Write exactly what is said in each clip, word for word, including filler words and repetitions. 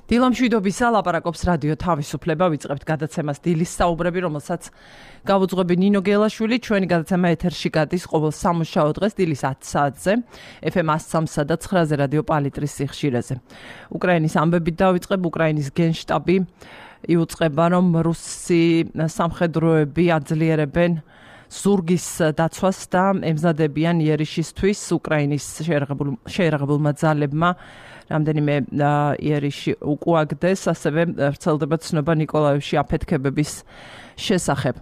დილამშვიდობისა ლაპარაკობს რადიო თავისუფლება, ვიწყებთ გადაცემას დილის საუბრები, რომელსაც გავუძღვები ნინო გელაშვილი. ჩვენი გადაცემა ეთერში გადის ყოველ სამუშაო დღეს დილის ათი საათზე, ეფ ემ one oh three და nine-ზე რადიო პალიტრის სიხშირეზე. უკრაინის ამბებით დავიწყებ, უკრაინის გენშტაბი იუწყება, რომ რუსი სამხედროები აძლიერებენ ზურგის დაცვას და ემზადებიან იერიშისთვის უკრაინის შეერაღებულმა ძალებმა რამდენიმე იერიში უკუაგდეს, ასევე ვრცელდება ცნობა ნიკოლაევში აფეთქებების შესახებ.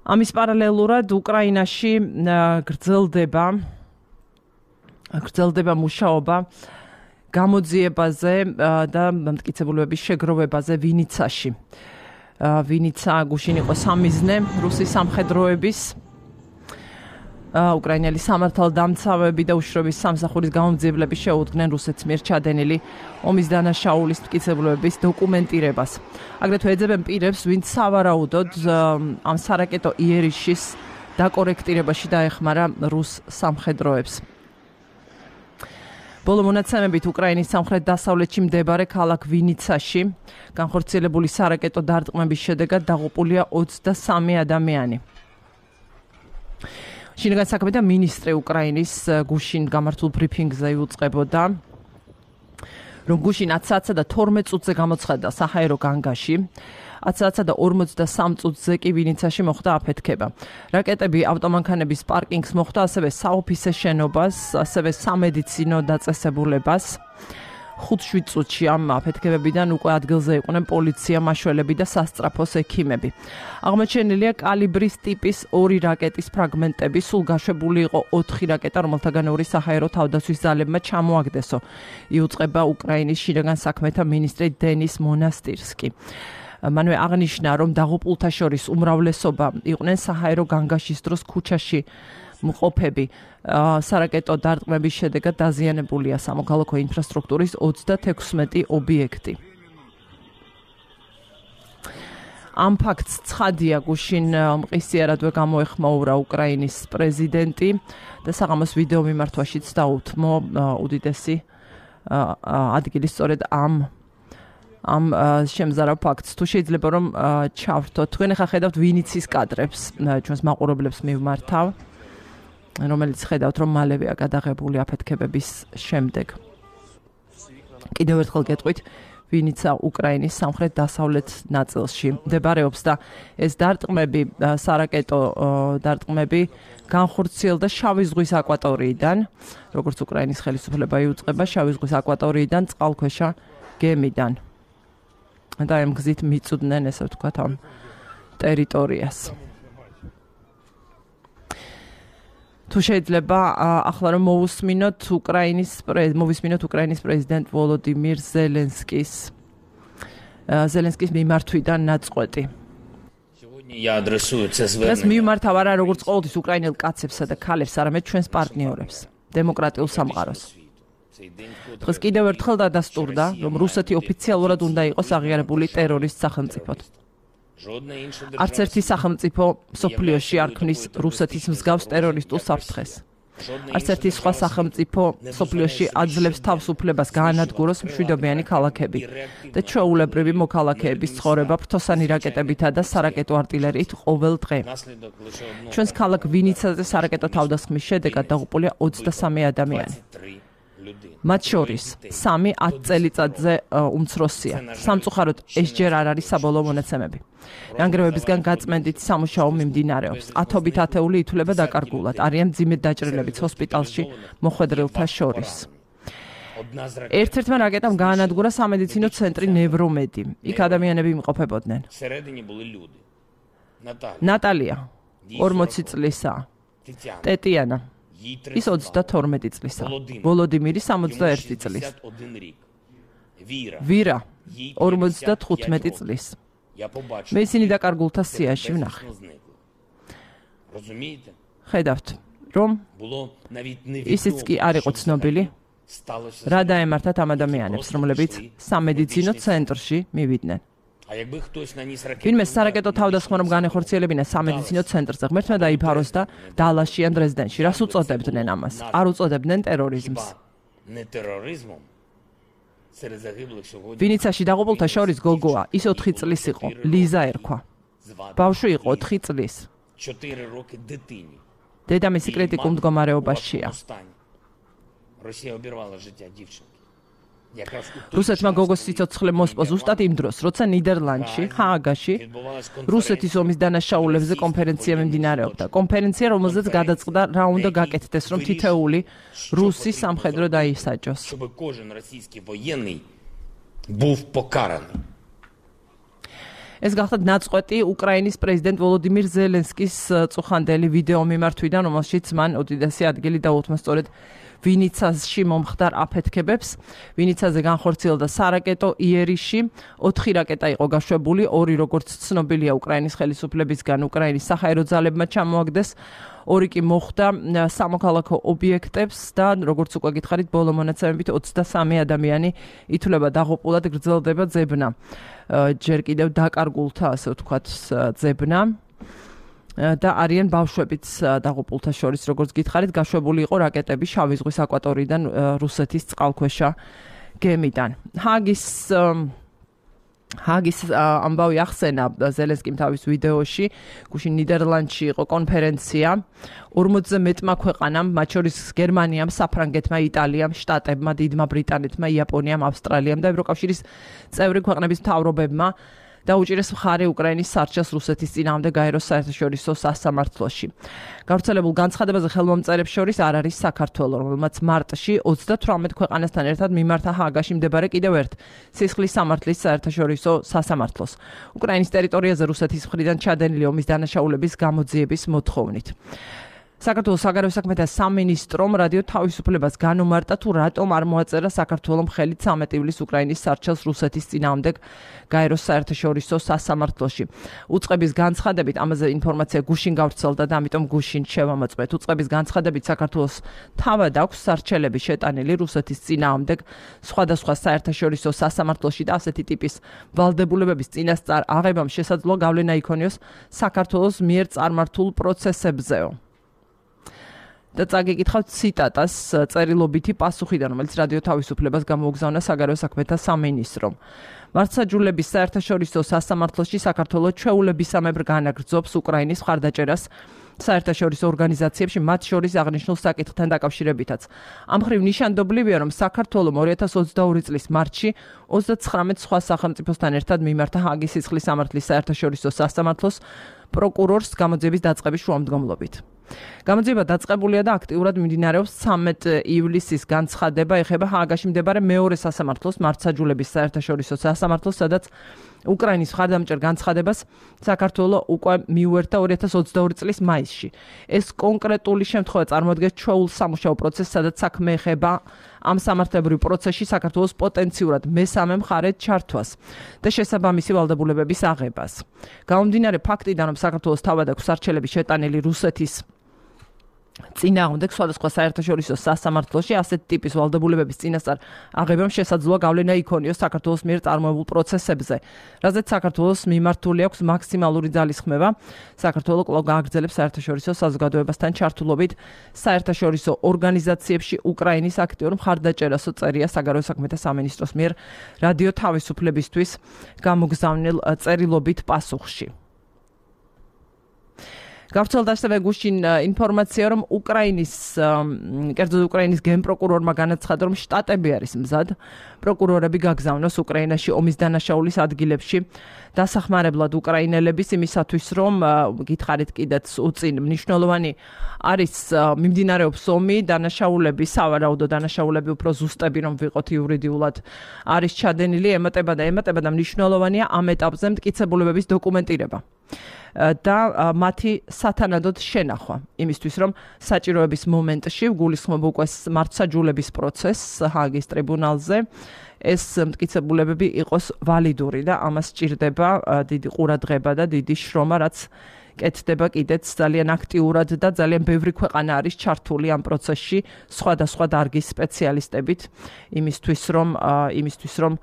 ამის პარალელურად უკრაინაში გრძელდება გრძელდება მუშაობა გამოძიებაზე და მტკიცებულებების შეგროვებაზე ვინიცაში. ვინიცა გუშინ იყო სამიზნე რუსის სამხედროების, უკრაინელი სამართალდამცავები და უშრობის სამსახურის გამომძიებლები შეუდგნენ რუსეთს მიერ ჩადენილი ომის დანაშაულის მტკიცებულებების დოკუმენტირებას. აგრეთვე ეძებენ პირებს, ვინც სავარაუდოდ ამ სარაკეტო იერიშის დაკორექტირებაში დაეხმარა რუს სამხედროებს. ბოლო მონაცემებით უკრაინის სამხრეთ-დასავლეთში მდებარე ქალაქ ვინიცაში განხორციელებული სარაკეტო დარტყმების შედეგად დაღუპულია ოცდასამი ადამიანი. შინაგან საქმეთა მინისტრი უკრაინის გუშინ გამართულ ბრიფინგზე იუწყებოდა, რომ გუშინ ათი საათსა და თორმეტ წუთზე გამოცხადდა საჰაერო განგაში, ათი საათსა და ორმოცდასამ წუთზე კი ვინიცაში მოხდა აფეთქება. რაკეტები ავტომანქანების პარკინგს მოხდა, ასევე საოფისე შენობას, ასევე სამედიცინო დაწესებულებას. ხუთ-შვიდ წუთში ამ აფეთქებებიდან უკვე ადგილზე იყვნენ პოლიცია, მაშველები და სასწრაფოს ექიმები. აღმოჩენილია კალიბრის ტიპის ორი რაკეტის ფრაგმენტები, სულ გაშვებული იყო ოთხი რაკეტა, რომელთაგან ორი საჰაერო თავდაცვის ძალებმა ჩამოაგდესო. იუწყება უკრაინის შინაგან საქმეთა მინისტრი დენის მონასტირსკი. მანვე აღნიშნა, რომ დაღუპულთა შორის უმრავლესობა იყვნენ საჰაერო განგაშის დროს ქუჩაში მყოფები. სარაკეტო დარტყმების შედეგად დაზიანებულია სამოქალაქო ინფრასტრუქტურის ოცდათექვსმეტი ობიექტი. ამ ფაქტს ცხადია გუშინ მყისიარადვე გამოეხმაურა უკრაინის პრეზიდენტი და საღამოს ვიდეო მიმართვაშიც დაუთმო უდიდესი ადგილი სწორედ ამ ამ შემზარავ ფაქტს. თუ შეიძლება რომ ჩავრთოთ, თქვენ ახლა ხედავთ ვინიცის კადრებს, ჩვენს მაყურებლებს მივმართავ, რომელიც ხედავთ, რომ მალევეა გადაღებული აფეთქებების შემდეგ. კიდევ ერთხელ გეტყვით, ვინიცა უკრაინის სამხრეთ-დასავლეთ ნაწილში მდებარეობს და ეს დარტყმები, სარაკეტო დარტყმები განხორციელდა შავი ზღვის აკვატორიიდან, როგორც უკრაინის ხელისუფლება იუწყება, შავი ზღვის აკვატორიიდან წყალქვეშა გემიდან. და ამ გზით მიწვდნენ, ესე ვთქვათ, ამ ტერიტორიას. თუ შეიძლება ახლა რომ მოვუსმინოთ უკრაინის მოვისმინოთ უკრაინის პრეზიდენტ ვოლოდიმირ ზელენსკის ზელენსკის მიმართვიდან ნაწყვეტი. დღეს მიმართავ არა როგორც ყოველთვის უკრაინელ კაცებსა და ქალებს, არამედ ჩვენს პარტნიორებს, დემოკრატიულ სამყაროს. დღეს კიდევ ერთხელ დადასტურდა, რომ რუსეთი ოფიციალურად უნდა იყოს აღიარებული ტერორისტ სახელმწიფოდ. არც ერთი სახელმწიფო მსოფლიოში არ ქმნის რუსეთის მსგავს ტერორისტულ საფრთხეს. არც ერთი სხვა სახელმწიფო მსოფლიოში აძლევს თავს უფლებას გაანადგუროს მშვიდობიანი ქალაქები და ჩვეულებრივი მოქალაქეების ცხოვრება ფრთოსანი რაკეტებითა და სარაკეტო артиლერიით ყოველ დღე. ჩვენს ქალაქ ვინიცაზე სარაკეტო თავდასხმის შედეგად დაღუპულია ოცდასამი ადამიანი. მათ შორის სამი ათი წელიწადზე უმცროსია. სამწუხაროდ ეს ჯერ არ არის საბოლოო მონაცემები. რანგრევებისგან გაწმენდით სამუშაო მიმდინარეობს. ათობით ათეული ითვლება დაკარგულად. არიან მძიმედ დაჭრილებიც ჰოსპიტალში მოხვედრილთა შორის. ერთ-ერთმა რაკეტამ გაანადგურა სამედიცინო ცენტრი ნევრომედი. იქ ადამიანები იმყოფებოდნენ. ნატალია ორმოცი წლისაა. ტეტიანა ის ოცდათორმეტი წლისა. ვოლოდიმირი სამოცდაერთი წლის. ვირა ორმოცდათხუთმეტი წლის. მე ისინი დაკარგულთა სიაში ვნახე. ხედავთ, რომ ისიც კი არ იყო ცნობილი, რა დაემართათ ამ ადამიანებს, რომლებიც სამედიცინო ცენტრში მივიდნენ. ვინმე სარაკეტო თავდასხმა რომ განეხორციელებინა სამედიცინო ცენტრზე, ღმერთმა დაიფაროს და დალაში ან დრეზდენში. რას უწოდებდნენ ამას? არ უწოდებდნენ ტერორიზმს. ვინიცაში დაღუპულთა შორის გოგოა, ის ოთხი წლის იყო, ლიზა ერქვა. ბავშვი იყო ოთხი წლის. დედამისი კრიტიკულ მდგომარეობაშია. რუსეთმა გოგოს სიცოცხლე მოსპო ზუსტად იმ დროს, როცა ნიდერლანდში, ჰააგაში, რუსეთის ომის დანაშაულებზე კონფერენცია მიმდინარეობდა. კონფერენცია, რომელზეც გადაწყდა რა უნდა გაკეთდეს, რომ თითოეული რუსი სამხედრო დაისაჯოს. ეს გახლავთ ნაწყვეტი უკრაინის პრეზიდენტ ვოლოდიმირ ზელენსკის წუხანდელი ვიდეო მიმართვიდან, რომელშიც მან უდიდესი ადგილი დაუთმო სწორედ ვინიცაში მომხდარ აფეთქებებს. ვინიცაზე განხორციელდა სარაკეტო იერიში, ოთხი რაკეტა იყო გაშვებული, ორი როგორც ცნობილია უკრაინის ხელისუფლებისგან უკრაინის საჰაერო ძალებმა ჩამოაგდეს, ორი კი მოხვდა სამოქალაქო ობიექტებს და როგორც უკვე გითხარით, ბოლო მონაცემებით ოცდასამი ადამიანი ითვლება დაღუპულად, გრძელდება ძებნა. ჯერ კიდევ დაკარგულთა, ასე ვთქვათ, ძებნა. და არიან ბავშვებიც დაღუპულთა შორის, როგორც გითხარით, გაშვებული იყო რაკეტები შავი ზღვის აკვატორიიდან რუსეთის წყალქვეშა გემიდან. ჰაგის ჰაგის ამბავი ახსენა ზელენსკიმ თავის ვიდეოში, გუშინ ნიდერლანდში იყო კონფერენცია, ორმოცზე მეტმა ქვეყანამ, მათ შორის გერმანიამ, საფრანგეთმა, იტალიამ, შტატებმა, დიდმა ბრიტანეთმა, იაპონიამ, ავსტრალიამ და ევროკავშირის წევრი ქვეყნების მთავრობებმა დაუჭირეს მხარე უკრაინის სარჩელს რუსეთის წინააღმდეგ გაეროს საერთაშორისო სასამართლოში. გავრცელებულ განცხადებაზე ხელმომწერებს შორის არ არის საქართველო, რომელმაც მარტში ოცდათვრამეტ ქვეყანასთან ერთად მიმართა ჰააგაში მდებარე კიდევ ერთ სისხლის სამართლის საერთაშორისო სასამართლოს. უკრაინის ტერიტორიაზე რუსეთის მხრიდან ჩადენილი ომის დანაშაულების გამოძიების მოთხოვნით. საქართველოს საგარეო საქმეთა სამინისტრომ რადიო თავისუფლებას განუმარტა თუ რატომ არ მოაწერა საქართველომ ხელით ცამეტ ივლისს უკრაინის სარჩელს რუსეთის წინააღმდეგ გაეროს საერთაშორისო სასამართლოში. უწყების განცხადებით ამაზე ინფორმაცია გუშინ გავრცელდა და ამიტომ გუშინ შევამოწმეთ. უწყების განცხადებით საქართველოს თავად აქვს სარჩელები შეტანილი რუსეთის წინააღმდეგ სხვადასხვა საერთაშორისო სასამართლოში და ასეთი ტიპის ვალდებულებების წინასწარ აღებამ შესაძლოა გავლენა იქონიოს საქართველოს მიერ წარმართულ პროცესებზეო. და წაგიკითხავთ ციტატას წერილობითი პასუხიდან, რომელიც რადიო თავისუფლებას გამოუგზავნა საგარეო საქმეთა სამინისტრომ. მართლმსაჯულების საერთაშორისო სასამართლოში საქართველოს ჩვეულებისამებრ განაგრძობს უკრაინის მხარდაჭერას საერთაშორისო ორგანიზაციებში, მათ შორის აღნიშნულ საკითხთან დაკავშირებითაც. ამ მხრივ ნიშანდობლივია, რომ საქართველოს ორი ათას ოცდაორი წლის მარტში ოცდაცხრამეტ სხვა სახელმწიფოსთან ერთად მიმართა ჰააგის სისხლის სამართლის საერთაშორისო სასამართლოს პროკურორს გამოძიების დაწყების შუამდგომლობით. გამოძიება დაწყებულია და აქტიურად მიმდინარეობს ცამეტ ივლისის განცხადება ეხება ჰააგაში მდებარე მეორე სასამართლოს მართლმსაჯულების საერთაშორისო სასამართლოს, სადაც უკრაინის მხარდამჭერ განცხადებას საქართველოს უკვე მიუერთა ორი ათას ოცდაორი წლის მაისში. ეს კონკრეტული შემთხვევა წარმოადგენს ჩვეულ სამუშაო პროცესს, სადაც საქმე ეხება ამ სამართლებრივ პროცესში საქართველოს პოტენციურად მესამე მხარედ ჩართვას და შესაბამისი ვალდებულებების აღებას. გამომდინარე ფაქტიდან, რომ საქართველოს თავად აქვს სარჩელები შეტანილი რუსეთის წინააღმდეგ სხვადასხვა საერთაშორისო სასამართლოში, ასეთ ტიპის ვალდებულებების წინასწარ აღებამ შესაძლოა გავლენა იქონიოს საქართველოს მიერ წარმოებულ პროცესებზე, რაზეც საქართველოს მიმართული აქვს მაქსიმალური ძალისხმევა. საქართველოს კვლავ გააგრძელებს საერთაშორისო საზოგადოებასთან ჩართულობით საერთაშორისო ორგანიზაციებში უკრაინის აქტიურ მხარდაჭერასო წერია საგარეო საქმეთა სამინისტროს მიერ რადიო თავისუფლებისთვის გამოგზავნილ წერილობით პასუხში. გავრცელდა ასევე გუშინ ინფორმაცია, რომ უკრაინის, კერძოდ უკრაინის გენპროკურორმა განაცხადა, რომ შტატები არის მზად პროკურორები გაგზავნოს უკრაინაში ომის დანაშაულის ადგილებში დასახმარებლად უკრაინელების იმისათვის, რომ გითხარით კიდეც უწინ მნიშვნელოვანი არის მიმდინარეობს ომი, დანაშაულები, სავარაუდო დანაშაულები უფრო ზუსტები რომ ვიყოთ იურიდიულად არის ჩადენილი, ემატება და ემატება და მნიშვნელოვანია ამ ეტაპზე მტკიცებულებების დოკუმენტირება და მათი სათანადოდ შენახვა იმისთვის, რომ საჭიროების მომენტში გულისხმობ უკვე მართლმსაჯულების პროცესს ჰააგის ტრიბუნალზე ეს მტკიცებულებები იყოს ვალიდური და ამას სჭირდება დიდი ყურადღება და დიდი შრომა, რაც კეთდება კიდეც ძალიან აქტიურად და ძალიან ბევრი ქვეყანა არის ჩართული ამ პროცესში სხვადასხვა დარგის სპეციალისტებით იმისთვის, რომ იმისთვის, რომ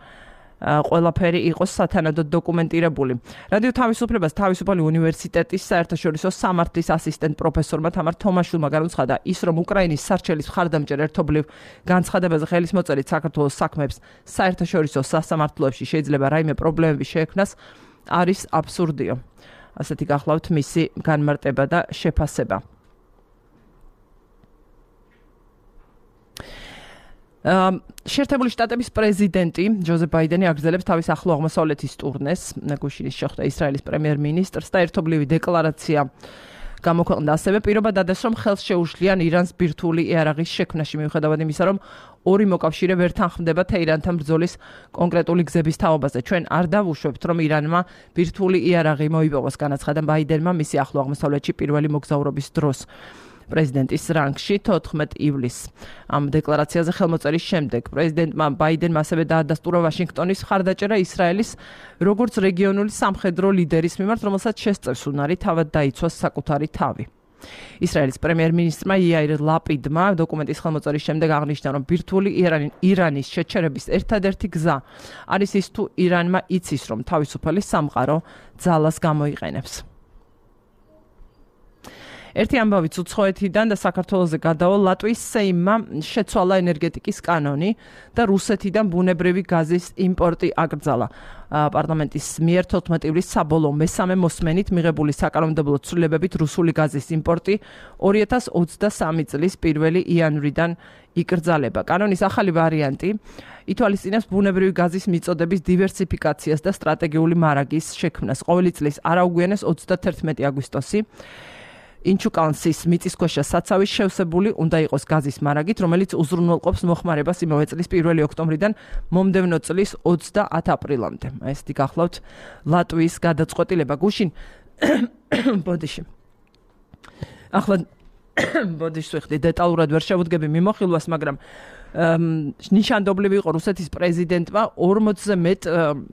ყველაფერი იყოს სათანადოდ დოკუმენტირებული. რადიო თავისუფლებას თავისუფალი უნივერსიტეტის საერთაშორისო სამართლის ასისტენტ პროფესორმა თამარ თომაშვილმა განუცხადა ის, რომ უკრაინის სარჩელის მხარდამჭერ ერთობლივ განცხადებაზე ხელისმოწერით საქართველოს საქმეებს საერთაშორისო სასამართლოებში შეიძლება რაიმე პრობლემები შეექმნას, არის აბსურდიო. ასეთი გახლავთ მისი განმარტება და შეფასება. შეერთებული შტატების პრეზიდენტი ჯოზეფ ბაიდენი აგრძელებს თავის ახლო აღმოსავლეთის ტურნეს. გუშინ შეხვდა ისრაელის პრემიერ-მინისტრს და ერთობლივი დეკლარაცია გამოქვეყნდა. ასევე პირობა დადეს, რომ ხელს შეუშლიან ირანს ბირთვული იარაღის შექმნაში, მიუხედავად იმისა, რომ ორი მოკავშირე ვერ თანხმდება თეირანთან ბრძოლის კონკრეტული გზების თაობაზე. ჩვენ არ დავუშვებთ, რომ ირანმა ბირთვული იარაღი მოიპოვოს, განაცხადა ბაიდენმა მისი ახლო აღმოსავლეთში პირველი მოგზაურობის დროს. პრეზიდენტის რანგში თოთხმეტ ივლისს. ამ დეკლარაციაზე ხელმოწერის შემდეგ პრეზიდენტმა ბაიდენმა ასევე დაადასტურა ვაშინგტონის მხარდაჭერა ისრაელის როგორც რეგიონული სამხედრო ლიდერის მიმართ, რომელსაც შესწევს უნარი თავად დაიცვას საკუთარი თავი. ისრაელის პრემიერ-მინისტრმა იაირ ლაპიდმა დოკუმენტის ხელმოწერის შემდეგ აღნიშნა, რომ ბირთვული ირანის შეჩერების ერთადერთი გზა არის ის, თუ ირანმა იცის, რომ თავისუფალი სამყარო ძალას გამოიყენებს. ერთი ამბავიც უცხოეთიდან და საქართველოზე გადავალ ლატვიის სეიმმა შეცვალა ენერგეტიკის კანონი და რუსეთიდან ბუნებრივი გაზის იმპორტი აკრძალა. პარლამენტის მიერ თოთხმეტ ივლისს საბოლოო მესამე მოსმენით მიღებული საკანონმდებლო ცვლილებებით რუსული გაზის იმპორტი ორი ათას ოცდასამი წლის პირველი იანვრიდან იკრძალება. კანონის ახალი ვარიანტი ითვალისწინებს ბუნებრივი გაზის მიწოდების დივერსიფიკაციას და სტრატეგიული მარაგის შექმნას. ყოველი წლის არაუგვიანეს ოცდათერთმეტი აგვისტოსი ინჩუკანსის მიწისქვეშა საცავის შევსებული უნდა იყოს გაზის მარაგით, რომელიც უზრუნველყოფს მოხმარებას იმავე წლის პირველი ოქტომბრიდან მომდევნო წლის ოცდაათი აპრილამდე. ესეთი გახლავთ ლატვიის გადაწყვეტილება. გუშინ ბოდიში. ახლა ბოდიში ვიხდი დეტალურად ვერ შევუდგები მიმოხილვას, მაგრამ ნიშანდობლივი იყო რუსეთის პრეზიდენტმა ორმოცზე მეტ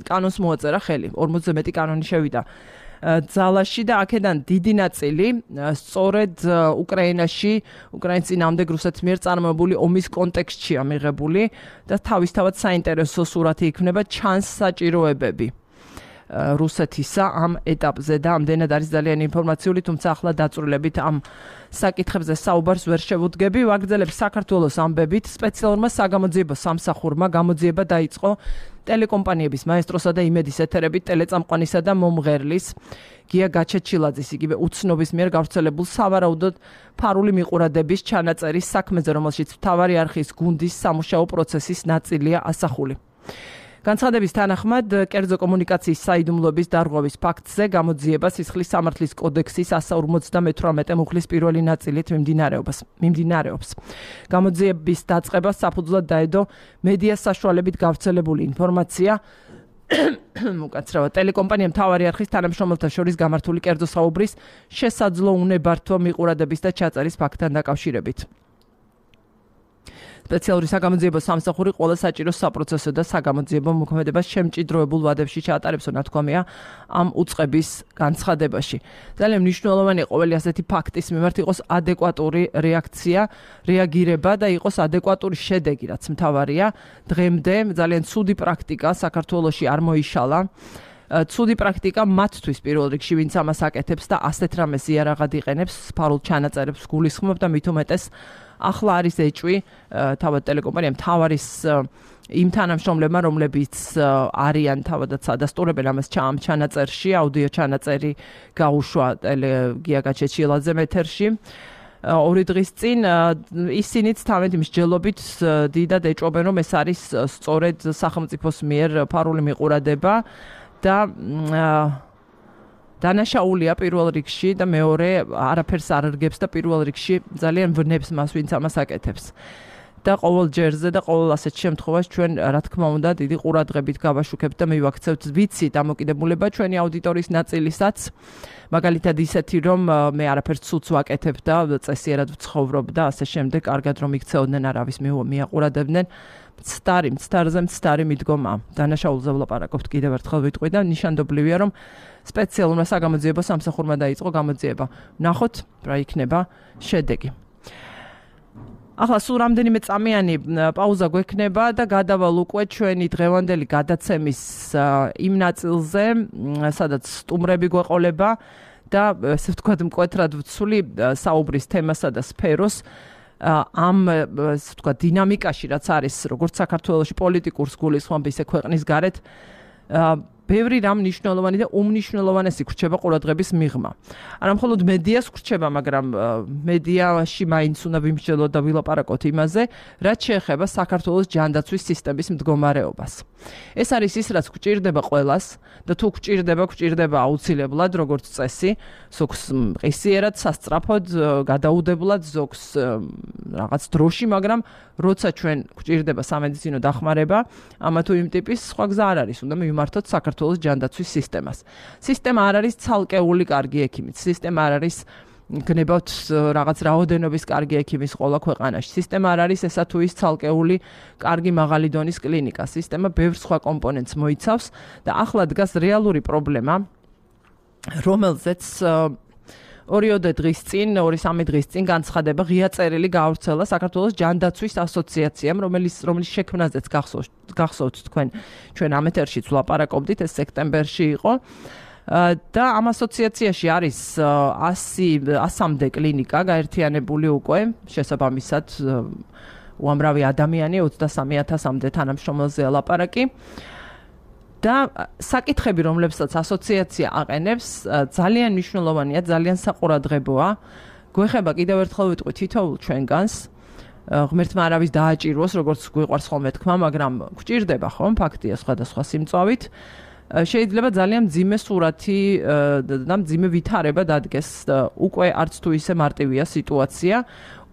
კანონს მოაწერა ხელი. ორმოცზე მეტი კანონი შევიდა ძალაში და აქედან დიდი ნაწილი სწორედ უკრაინაში, უკრაინის წინააღმდეგ რუსეთის მიერ წარმოებული ომის კონტექსტშია მიღებული და თავისთავად საინტერესო სურათი იქნება ჩანს საჭიროებები რუსეთისა ამ ეტაპზე და ამდენად არის ძალიან ინფორმაციული, თუმცა ახლა დაწვრილებით ამ საკითხებზე საუბარს ვერ შევუდგები. ვაგრძელებ საქართველოს ამბებით. სპეციალურმა საგამოძიებო სამსახურმა გამოძიება დაიწყო ტელეკომპანიების მაესტროსა და იმედის ეთერებით ტელეწამყვანისა და მომღერლის გია გაჩეჩილაძის იგივე უცნობის მიერ გავრცელებულ სავარაუდოდ ფარული მიყურადების ჩანაწერის საქმეზე, რომელშიც მთავარი არხის გუნდის სამუშაო პროცესის ნაწილია ასახული. განცხადების თანახმად, კერძო კომუნიკაციის საიდუმლოების დარღვევის ფაქტზე გამოძიება სისხლის სამართლის კოდექსის εκατს ორმოცდამეთვრამეტე მუხლის პირველი ნაწილით მიმდინარეობს. მიმდინარეობს. გამოძიების დაწყებას საფუძვლად დაედო მედია საშუალებით გავრცელებული ინფორმაცია, უკაცრავად ტელეკომპანია მთავარი არხის თანამშრომელთა შორის გამართული კერძო საუბრის შესაძლო უნებართვო მიყურადების და ჩაწერის ფაქტთან დაკავშირებით. სპეციალური საგამოძიებო სამსახური ყველა საჭირო საპროცესო და საგამოძიებო მოქმედებას შემჭიდროებულ ვადებში ჩაატარებსო ნათქვამია ამ უწყების განცხადებაში. ძალიან მნიშვნელოვანი ყოველი ასეთი ფაქტის მიმართ იყოს ადეკვატური რეაქცია, რეაგირება და იყოს ადეკვატური შედეგი, რაც მთავარია. დღემდე ძალიან ცუდი პრაქტიკა საქართველოში არ მოიშალა. ცუდი პრაქტიკა მათთვის პირველ რიგში, ვინც ამას აკეთებს და ასეთ რამეს იარაღად იყენებს, ფარულ ჩანაწერებს გულისხმობ და მით უმეტეს ახლა არის ეჭვი თავად ტელეკომპანიამ თავარის იმ თანამშრომლებმა, რომლებიც არიან თავადაც ადასტურებენ ამას ამ ჩანაწერში, აუდიო ჩანაწერი გაუშვა გია გაჩეჩილაძემ ეთერში. ორი დღის წინ ისინიც თავენთი მსჯელობით დიდად ეჭვობენ, რომ ეს არის სწორედ სახელმწიფოს მიერ ფარული მიყურადება და დანაშაულია პირველ რიგში და მეორე არაფერს არ რგებს და პირველ რიგში ძალიან ვნებს მას, ვინც ამას აკეთებს. და ყოველ ჯერზე და ყოველ ასეთ შემთხვევაში ჩვენ რა თქმა უნდა დიდი ყურადღებით გავაშუქებთ და მივაქცევთ ვიცი დამოკიდებულება ჩვენი აუდიტორიის ნაწილისაც. მაგალითად ისეთი, რომ მე არაფერს ცუდს ვაკეთებ და წესიერად ვცხოვრობ და ასე შემდეგ, კარგად რომ იქცეოდნენ არავის მიაყურებდნენ. მცდარი, მცდარზე მცდარი მიდგომა. დანაშაულზე ვლაპარაკობთ კიდევ ერთხელ ვიტყვი და ნიშანდობლივია, რომ სპეციალურმა საგამოძიებო სამსახურმა დაიწყო გამოძიება. ნახოთ რა იქნება შედეგი. ახლა სულ რამდენიმე წამიანი პაუზა გვექნება და გადავალ უკვე ჩვენი დღევანდელი გადაცემის იმ ნაწილზე, სადაც სტუმრები გვეყოლება და ესე ვთქვათ მკვეთრად ვცვლი საუბრის თემასა და სფეროს ამ ესე ვთქვათ დინამიკაში, რაც არის როგორც საქართველოში პოლიტიკურ სგულისხმობ, ისე ქვეყნის გარეთ ბევრი რამ მნიშვნელოვანი და უმნიშვნელოვანესი გრჩება ყურადღების მიღმა. არა მხოლოდ მედიას გრჩება, მაგრამ მედიაში მაინც უნდა ვიმსჯელოთ და ვილაპარაკოთ იმაზე, რაც შეეხება საქართველოს ჯანდაცვის სისტემის მდგომარეობას. ეს არის ის, რაც გვჭირდება ყველას და თუ გვჭირდება, გვჭირდება აუცილებლად, როგორც წესი, ზოგს მყისიერად, სასწრაფოდ, გადაუდებლად, ზოგს რაღაც დროში, მაგრამ როცა ჩვენ გვჭირდება სამედიცინო დახმარება, ამა თუ იმ ტიპის სხვა გზა არ არის, უნდა მივმართოთ საქართველოს ჯანდაცვის სისტემას. სისტემა არ არის ცალკეული კარგი ექიმით, სისტემა არ არის გნებავთ რაღაც რაოდენობის კარგი ექიმის ყველა ქვეყანაში. სისტემა არ არის ესა თუ ის ცალკეული კარგი მაღალი დონის კლინიკა. სისტემა ბევრ სხვა კომპონენტს მოიცავს და ახლა დგას რეალური პრობლემა, რომელზეც ორიოდე დღის წინ, ორი სამი დღის წინ განცხადება ღია წერილი გაავრცელა საქართველოს ჯანდაცვის ასოციაციამ, რომელიც რომლის შექმნაზეც გახსოვთ თქვენ ჩვენ ამ ეთერშიც ვლაპარაკობდით, ეს სექტემბერში იყო. და ამ ასოციაციაში არის ასამდე კლინიკა გაერთიანებული უკვე, შესაბამისად უამრავი ადამიანი, ოცდასამი ათასამდე თანამშრომელზეა ლაპარაკი. და საკითხები, რომლებსაც ასოციაცია აყენებს, ძალიან მნიშვნელოვანია, ძალიან საყურადღებოა. გვეხება კიდევ ერთხელ ვიტყვი თითოეულ ჩვენგანს, ღმერთმა არავის დააჭიროს, როგორც გვიყვარს ხოლმე თქვა, მაგრამ გვჭირდება ხომ, ფაქტია სხვადასხვა სიმწვავით. შეიძლება ძალიან მძიმე სურათი და მძიმე ვითარება დადგეს, უკვე არც თუ ისე მარტივია სიტუაცია.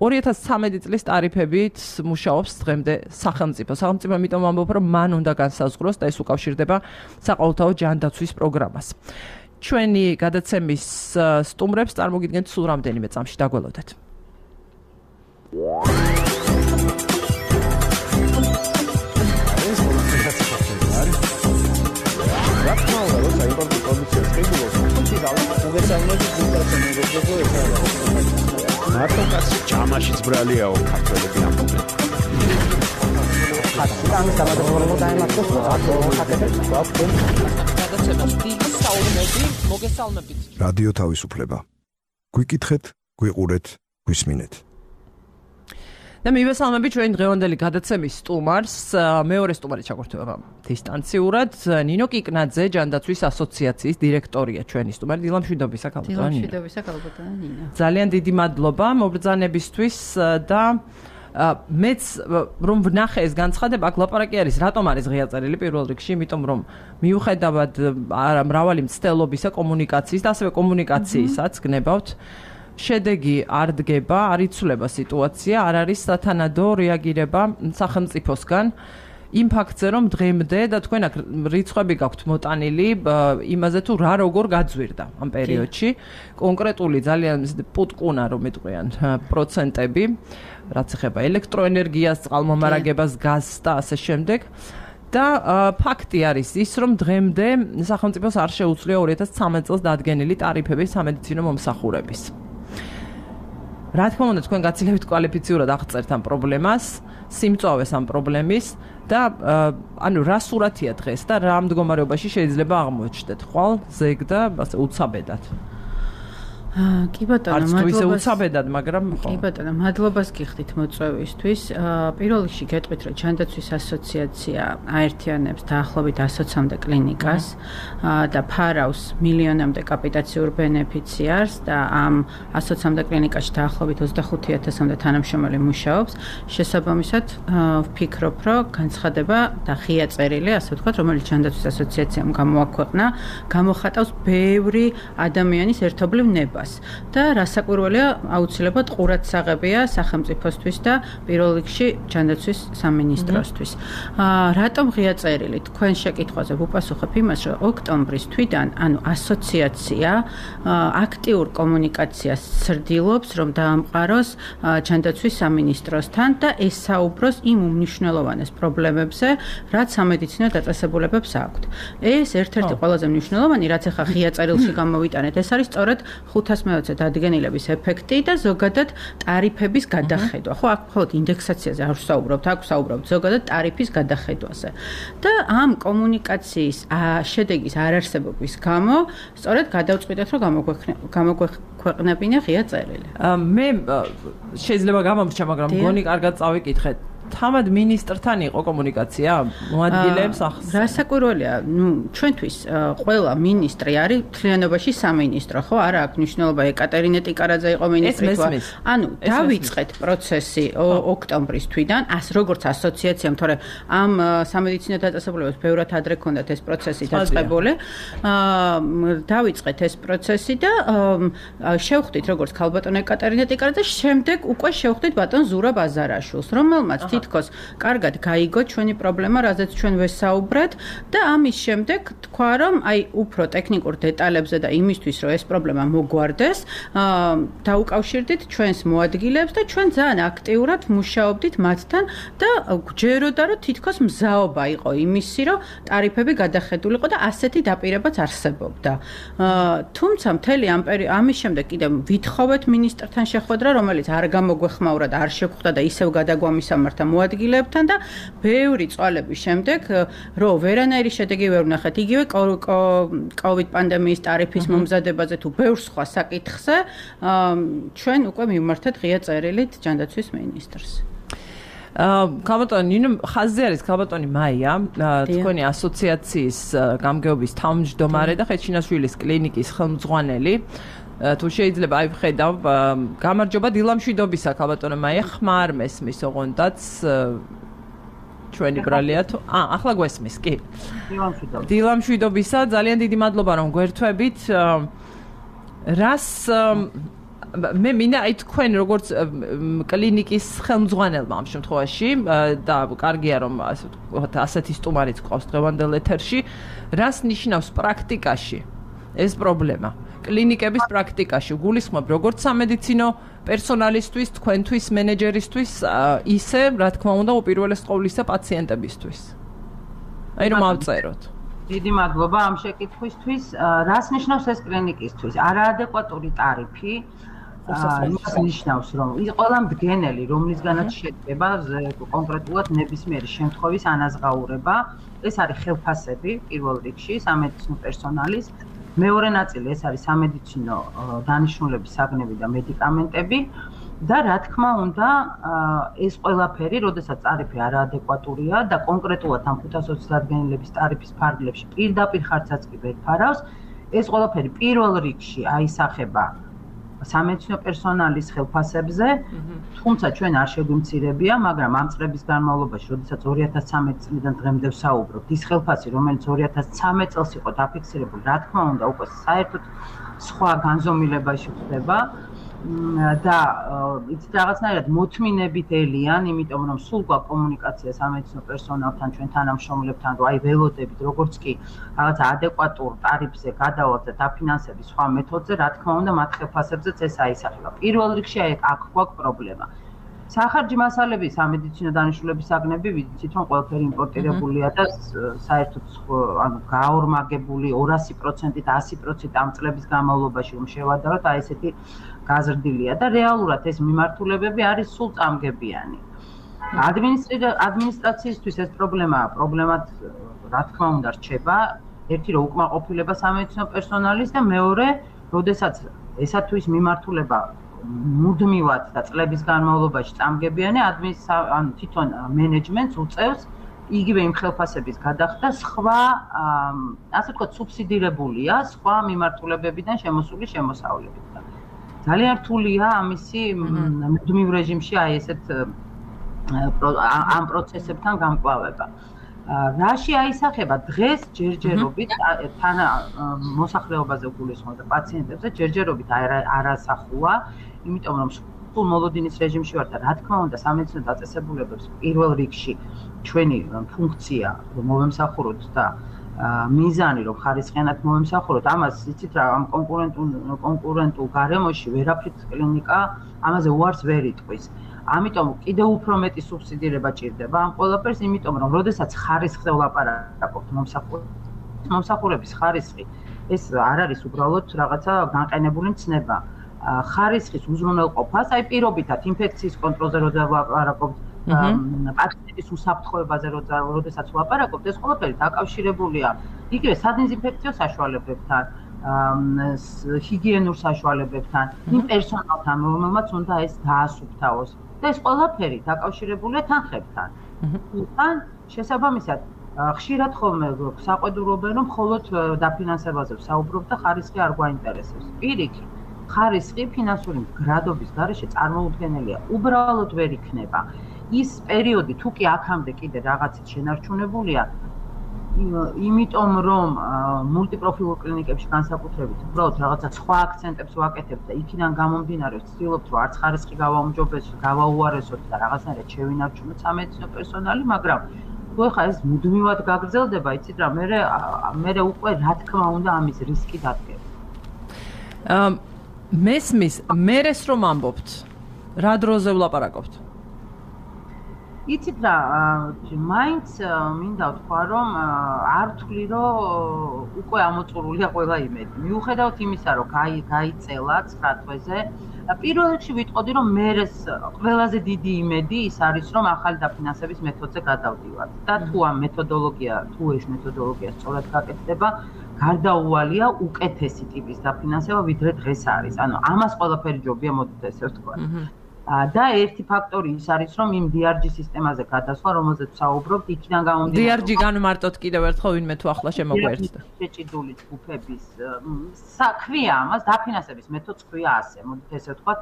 ორი ათას ცხრამეტი წლის ტარიფებით მუშაობს დღემდე სახელმწიფო. სახელმწიფო ამიტომ ამბობ, რომ მან უნდა განსაზღვროს და ეს უკავშირდება საყოველთაო ჯანდაცვის პროგრამას. ჩვენი გადაცემის სტუმრებს წარმოგიდგენთ სულ რამდენიმე წამში, დაგველოდეთ. მარტო კაცი ჯამაშიც ბრალიაო ქართველები ამბობენ. ამის დამატებულად დაემართოს რადიო თავისუფლება. გვიკითხეთ, გვიყურეთ, გვისმინეთ. და მივესალმებით ჩვენი დღევანდელი გადაცემის სტუმარს, მეორე სტუმარი ჩაგვერთვება დისტანციურად, ნინო კიკნაძე, ჯანდაცვის ასოციაციის დირექტორია ჩვენი სტუმარი. დილა მშვიდობისა, ქალბატონო ნინო. დილა მშვიდობისა, ქალბატონო ნინო. ძალიან დიდი მადლობა მობრძანებისთვის და მეც რომ ვნახე ეს განცხადება, აქ ლაპარაკი არის, რატომ არის ღია წერილი პირველ რიგში, იმიტომ რომ მიუხედავად მრავალი მცდელობისა, კომუნიკაციის და ასევე კომუნიკაციისაც გნებავთ, შედეგი არ დგება, არ იცვლება სიტუაცია, არ არის სათანადო რეაგირება სახელმწიფოსგან იმ ფაქტზე, რომ დღემდე და თქვენ აქ რიცხვები გაქვთ მოტანილი იმაზე თუ რა როგორ გაძვირდა ამ პერიოდში, კონკრეტული ძალიან პუტკუნა რომ მეტყვიან პროცენტები, რაც ეხება ელექტროენერგიას, წყალმომარაგებას, გაზს და ასე შემდეგ. და ფაქტი არის ის, რომ დღემდე სახელმწიფოს არ შეუძლია ორი ათას ცხრამეტ წელს დადგენილი ტარიფები სამედიცინო მომსახურების. რა თქმა უნდა, თქვენ გაცილებით კვალიფიციურად აღწერთ ამ პრობლემას, სიმწვავეს ამ პრობლემის და ანუ რა სურათია დღეს და რა მდგომარეობაში შეიძლება აღმოჩნდეთ ხვალ, ზეგ და ასე უცაბედად. კი ბატონო, მადლობას უცაბედად, მაგრამ ხო. კი ბატონო, მადლობას გიხდით მოწვევისთვის. პირველ რიგში გეტყვით, რომ ჯანდაცვის ასოციაცია აერთიანებს დაახლოებით ასოცამდე კლინიკას და ფარავს მილიონამდე კაპიტაციურ ბენეფიციარს და ამ ასოცამდე კლინიკაში დაახლოებით ოცდახუთი ათასამდე თანამშრომელი მუშაობს. შესაბამისად, ვფიქრობ, რომ განცხადება და ღია წერილი, ასე ვთქვათ, რომელიც ჯანდაცვის ასოციაციამ გამოაქვეყნა, გამოხატავს ბევრი ადამიანის ერთობლივ ნებას. და რასაკვირველია, აუცილებლად ყურადსაღებია სახელმწიფოსთვის და პირველ რიგში ჯანდაცვის სამინისტროსთვის. რატომ ღია წერილი? თქვენ შეკითხვაზე ვუპასუხებ იმას, რომ ოქტომბრის თვიდან, ანუ ასოციაცია აქტიურ კომუნიკაციას ცდილობს, რომ დაამყაროს ჯანდაცვის სამინისტროსთან და ესაუბროს იმ უმნიშვნელოვანეს პრობლემებზე, რაც სამედიცინო დაწესებულებებს აქვთ. ეს ერთ-ერთი ყველაზე მნიშვნელოვანი, რაც ახლა ღია წერილში გამოვიტანეთ, ეს არის სწორედ ხუთ ოთხას მეოცე დადგენილების ეფექტი და ზოგადად ტარიფების გადახედვა. ხო, აქ მხოლოდ ინდექსაციაზე არ ვსაუბრობთ, აქ ვსაუბრობთ ზოგადად ტარიფის გადახედვაზე. და ამ კომუნიკაციის შედეგის არარსებობის გამო სწორედ გადავწყვიტეთ, რომ გამოგვექვეყნებინა ღია წერილი. მე შეიძლება გამომრჩა, მაგრამ მგონი კარგად წავიკითხეთ. თამად მინისტრთან იყო კომუნიკაცია მოადგილეებს ახს. რასაკვირველია, ნუ ჩვენთვის ყველა მინისტრი არის მთლიანობაში სამინისტრო, ხო? არა აქვს მნიშვნელობა ეკატერინე ტიკარაძე იყო მინისტრი თუ არა. ანუ დავიწყეთ პროცესი ოქტომბრის თვიდან, ას როგორც ასოციაციამ, თორე ამ სამედიცინო დაწესებულებებს ბევრად ადრე ქონდათ ეს პროცესი დაწყებული. დავიწყეთ ეს პროცესი და შევხვდით როგორც ქალბატონ ეკატერინე ტიკარაძე, შემდეგ უკვე შევხვდით ბატონ ზურაბ აზარაშვილს, რომელმაც თითქოს კარგად გაიგო ჩვენი პრობლემა, რაზეც ჩვენ ვესაუბრეთ და ამის შემდეგ თქვა, რომ აი უფრო ტექნიკურ დეტალებზე და იმისთვის, რომ ეს პრობლემა მოგვარდეს, დაუკავშირდით ჩვენს მოადგილეებს და ჩვენ ძალიან აქტიურად მუშაობდით მათთან და გვჯეროდა, რომ თითქოს მზაობა იყო იმისი, რომ ტარიფები გადახედულიყო და ასეთი დაპირებაც არსებობდა. თუმცა მთელი ამ ამის შემდეგ კიდევ ვითხოვეთ მინისტრთან შეხვედრა, რომელიც არ გამოგვეხმაურა და არ შეგვხვდა და ისევ გადაგვამისამართა მოადგილებთან და ბევრი წვალების შემდეგ, რომ ვერანაირი შედეგი ვერ ვნახეთ, იგივე კოვიდ პანდემიის ტარიფის მომზადებაზე თუ ბევრ სხვა საკითხზე, ჩვენ უკვე მივმართეთ ღია წერილით ჯანდაცვის მინისტრს. ქალბატონი ნინო ხაზზე არის ქალბატონი მაია, თქვენი ასოციაციის გამგეობის თავმჯდომარე და ხეჩინაშვილის კლინიკის ხელმძღვანელი. თუ შეიძლება აი ვხედავ, გამარჯობა დილამშვიდობისა ქალბატონო მაია, ხმარ მესმის ოღონდაც ჩვენი ბრალია თუ აა ახლა გვესმის, კი. დილამშვიდობა. დილამშვიდობისა, ძალიან დიდი მადლობა რომ გვერთვებით. რას მე მინდა აი თქვენ როგორც კლინიკის ხელმძღვანელმა ამ შემთხვევაში და კარგია რომ ასე ვთქვათ ასეთი სტუმარიც ყავს დღევანდელ ეთერში, რას ნიშნავს პრაქტიკაში ეს პრობლემა? კლინიკების პრაქტიკაში გულისხმობ როგორც სამედიცინო პერსონალისთვის, თქვენთვის, მენეჯერისთვის, ისე, რა თქმა უნდა, უპირველეს ყოვლისა პაციენტებისთვის. აი რომ ავწეროთ. დიდი მადლობა ამ შეკითხვისთვის. რას ნიშნავს ეს კლინიკისთვის? არაადეკვატური ტარიფი იმას ნიშნავს, რომ ის ყველა მდგენელი, რომლისგანაც შედგება კონკრეტულად ნებისმიერი შემთხვევის ანაზღაურება, ეს არის ხელფასები პირველ რიგში სამედიცინო პერსონალის. მეორე ნაწილი ეს არის სამედიცინო დანიშნულების საგნები და მედიკამენტები და რა თქმა უნდა ეს ყველაფერი, როდესაც ტარიფი არაადეკვატურია და კონკრეტულად ამ ხუთას ოცი დადგენილების ტარიფის ფარგლებში პირდაპირ ხარჯსაც კი ვერ ფარავს, ეს ყველაფერი პირველ რიგში აისახება სამედიცინო პერსონალის ხელფასებზე, თუმცა ჩვენ არ შეგვიმცირებია, მაგრამ ამ წლების განმავლობაში, როდესაც ორი ათას ცამეტი წლიდან დღემდე ვსაუბრობთ, ის ხელფასი, რომელიც ორი ათას ცამეტ წელს იყო დაფიქსირებული, რა თქმა უნდა, უკვე საერთოდ სხვა განზომილებაში ხდება და იცით რაღაცნაირად მოთმინებით ელიან, იმიტომ რომ სულ გვაქვს კომუნიკაცია სამედიცინო პერსონალთან, ჩვენ თანამშრომლებთან, რომ აი ველოდებით, როგორც კი რაღაცა ადეკვატურ ტარიფზე გადავალთ და დაფინანსების სხვა მეთოდზე, რა თქმა უნდა, მათ ხელფასებზეც ეს აისახება. პირველ რიგში აი აქ გვაქვს პრობლემა. სახარჯი მასალები, სამედიცინო დანიშნულების საგნები, ვიცით რომ ყველაფერი იმპორტირებულია და საერთოდ ანუ გაორმაგებული ორასი პროცენტით, ასი პროცენტით ამ წლების განმავლობაში რომ შევადაროთ, აი ესეთი გაზრდილია და რეალურად ეს მიმართულებები არის სულ წამგებიანი. ადმინისტრაციისთვის ეს პრობლემაა, პრობლემად რა თქმა უნდა რჩება, ერთი რომ უკმაყოფილება სამედიცინო პერსონალის და მეორე, როდესაც ესა თუ ის მიმართულება მუდმივად და წლების განმავლობაში წამგებიანი, ანუ თვითონ მენეჯმენტს უწევს იგივე იმ ხელფასების გადახდა სხვა, ასე ვთქვათ, სუბსიდირებულია სხვა მიმართულებებიდან შემოსული შემოსავლებით. ძალიან რთულია ამისი მუდმივ რეჟიმში აი ესეთ ამ პროცესებთან გამკლავება. რაში აისახება დღეს ჯერჯერობით თან მოსახლეობაზე გულისხმობ და პაციენტებზე ჯერჯერობით არასახულა, იმიტომ რომ სულ მოლოდინის რეჟიმში ვარ და რა თქმა უნდა სამედიცინო დაწესებულებებს პირველ რიგში ჩვენი ფუნქცია რომ მოვემსახუროთ და მიზანი რომ ხარისხიანად მოვემსახუროთ, ამას იცით რა ამ კონკურენტულ კონკურენტულ გარემოში ვერაფრით კლინიკა ამაზე უარს ვერ იტყვის. ამიტომ კიდევ უფრო მეტი სუბსიდირება ჭირდება ამ ყველაფერს, იმიტომ რომ როდესაც ხარისხზე ვლაპარაკობთ მომსახურების მომსახურების ხარისხი ეს არ არის უბრალოდ რაღაცა განყენებული მცნება. ხარისხის უზრუნველყოფას, აი პირობითად ინფექციის კონტროლზე როცა ვაპარაკობთ, პაციენტის უსაფრთხოებაზე როდესაც ვაპარაკობთ, ეს ყველაფერი დაკავშირებულია იგივე სადეზინფექციო საშუალებებთან, ჰიგიენურ საშუალებებთან, იმ პერსონალთან, რომელმაც უნდა ეს დაასუფთავოს. და ეს ყველაფერი დაკავშირებულია თანხებთან. თან შესაბამისად, ხშირად ხოლმე საყვედურობენ, რომ მხოლოდ დაფინანსებაზე ვსაუბრობ და ხარისხი არ გვაინტერესებს. პირიქით, ხარისხი ფინანსური მდგრადობის გარეშე წარმოუდგენელია. უბრალოდ ვერ იქნება. ის პერიოდი თუ კი აქამდე კიდე რაღაცით შენარჩუნებულია, იმიტომ რომ მულტიპროფილურ კლინიკებში განსაკუთრებით უბრალოდ რაღაცა სხვა აქცენტებს ვაკეთებთ და იქიდან გამომდინარე ვცდილობთ რომ არც ხარისხი გავაუმჯობესოთ, გავაუარესოთ და რაღაცნაირად შევინარჩუნოთ სამედიცინო პერსონალი, მაგრამ თუ ხა ეს მუდმივად გაგრძელდება, იცით რა, მე მე უკვე რა თქმა უნდა ამის რისკი დადგება. მესმის, მერეს რომ ამბობთ, რა დროზე ვლაპარაკობთ? იცით რა, მაინც მინდა ვთქვა, რომ არ ვთვლი, რომ უკვე ამოწურულია ყველა იმედი. მიუხედავად იმისა, რომ გაიწელა ცხრა თვეზე, პირველ რიგში ვიტყოდი, რომ მერეს ყველაზე დიდი იმედი ის არის, რომ ახალი დაფინანსების მეთოდზე გადავდივართ. და თუ ამ მეთოდოლოგია, თუ ეს მეთოდოლოგია სწორად გაკეთდება, გარდაუვალია უკეთესი ტიპის დაფინანსება, ვიდრე დღეს არის. ანუ ამას ყველაფერი ჯობია, მოდით ესე ვთქვა. და ერთი ფაქტორი ის არის, რომ იმ დი არ ჯი სისტემაზე გადასვლა, რომელზეც ვსაუბრობთ, იქიდან გამომდინარე. დი არ ჯი განმარტოთ კიდევ ერთხელ, ვინმე თუ ახლა შემოგვიერთდა. შეჭიდული ჯგუფების საქმეა ამას, დაფინანსების მეთოდს ქვია ასე, მოდით ესე ვთქვათ,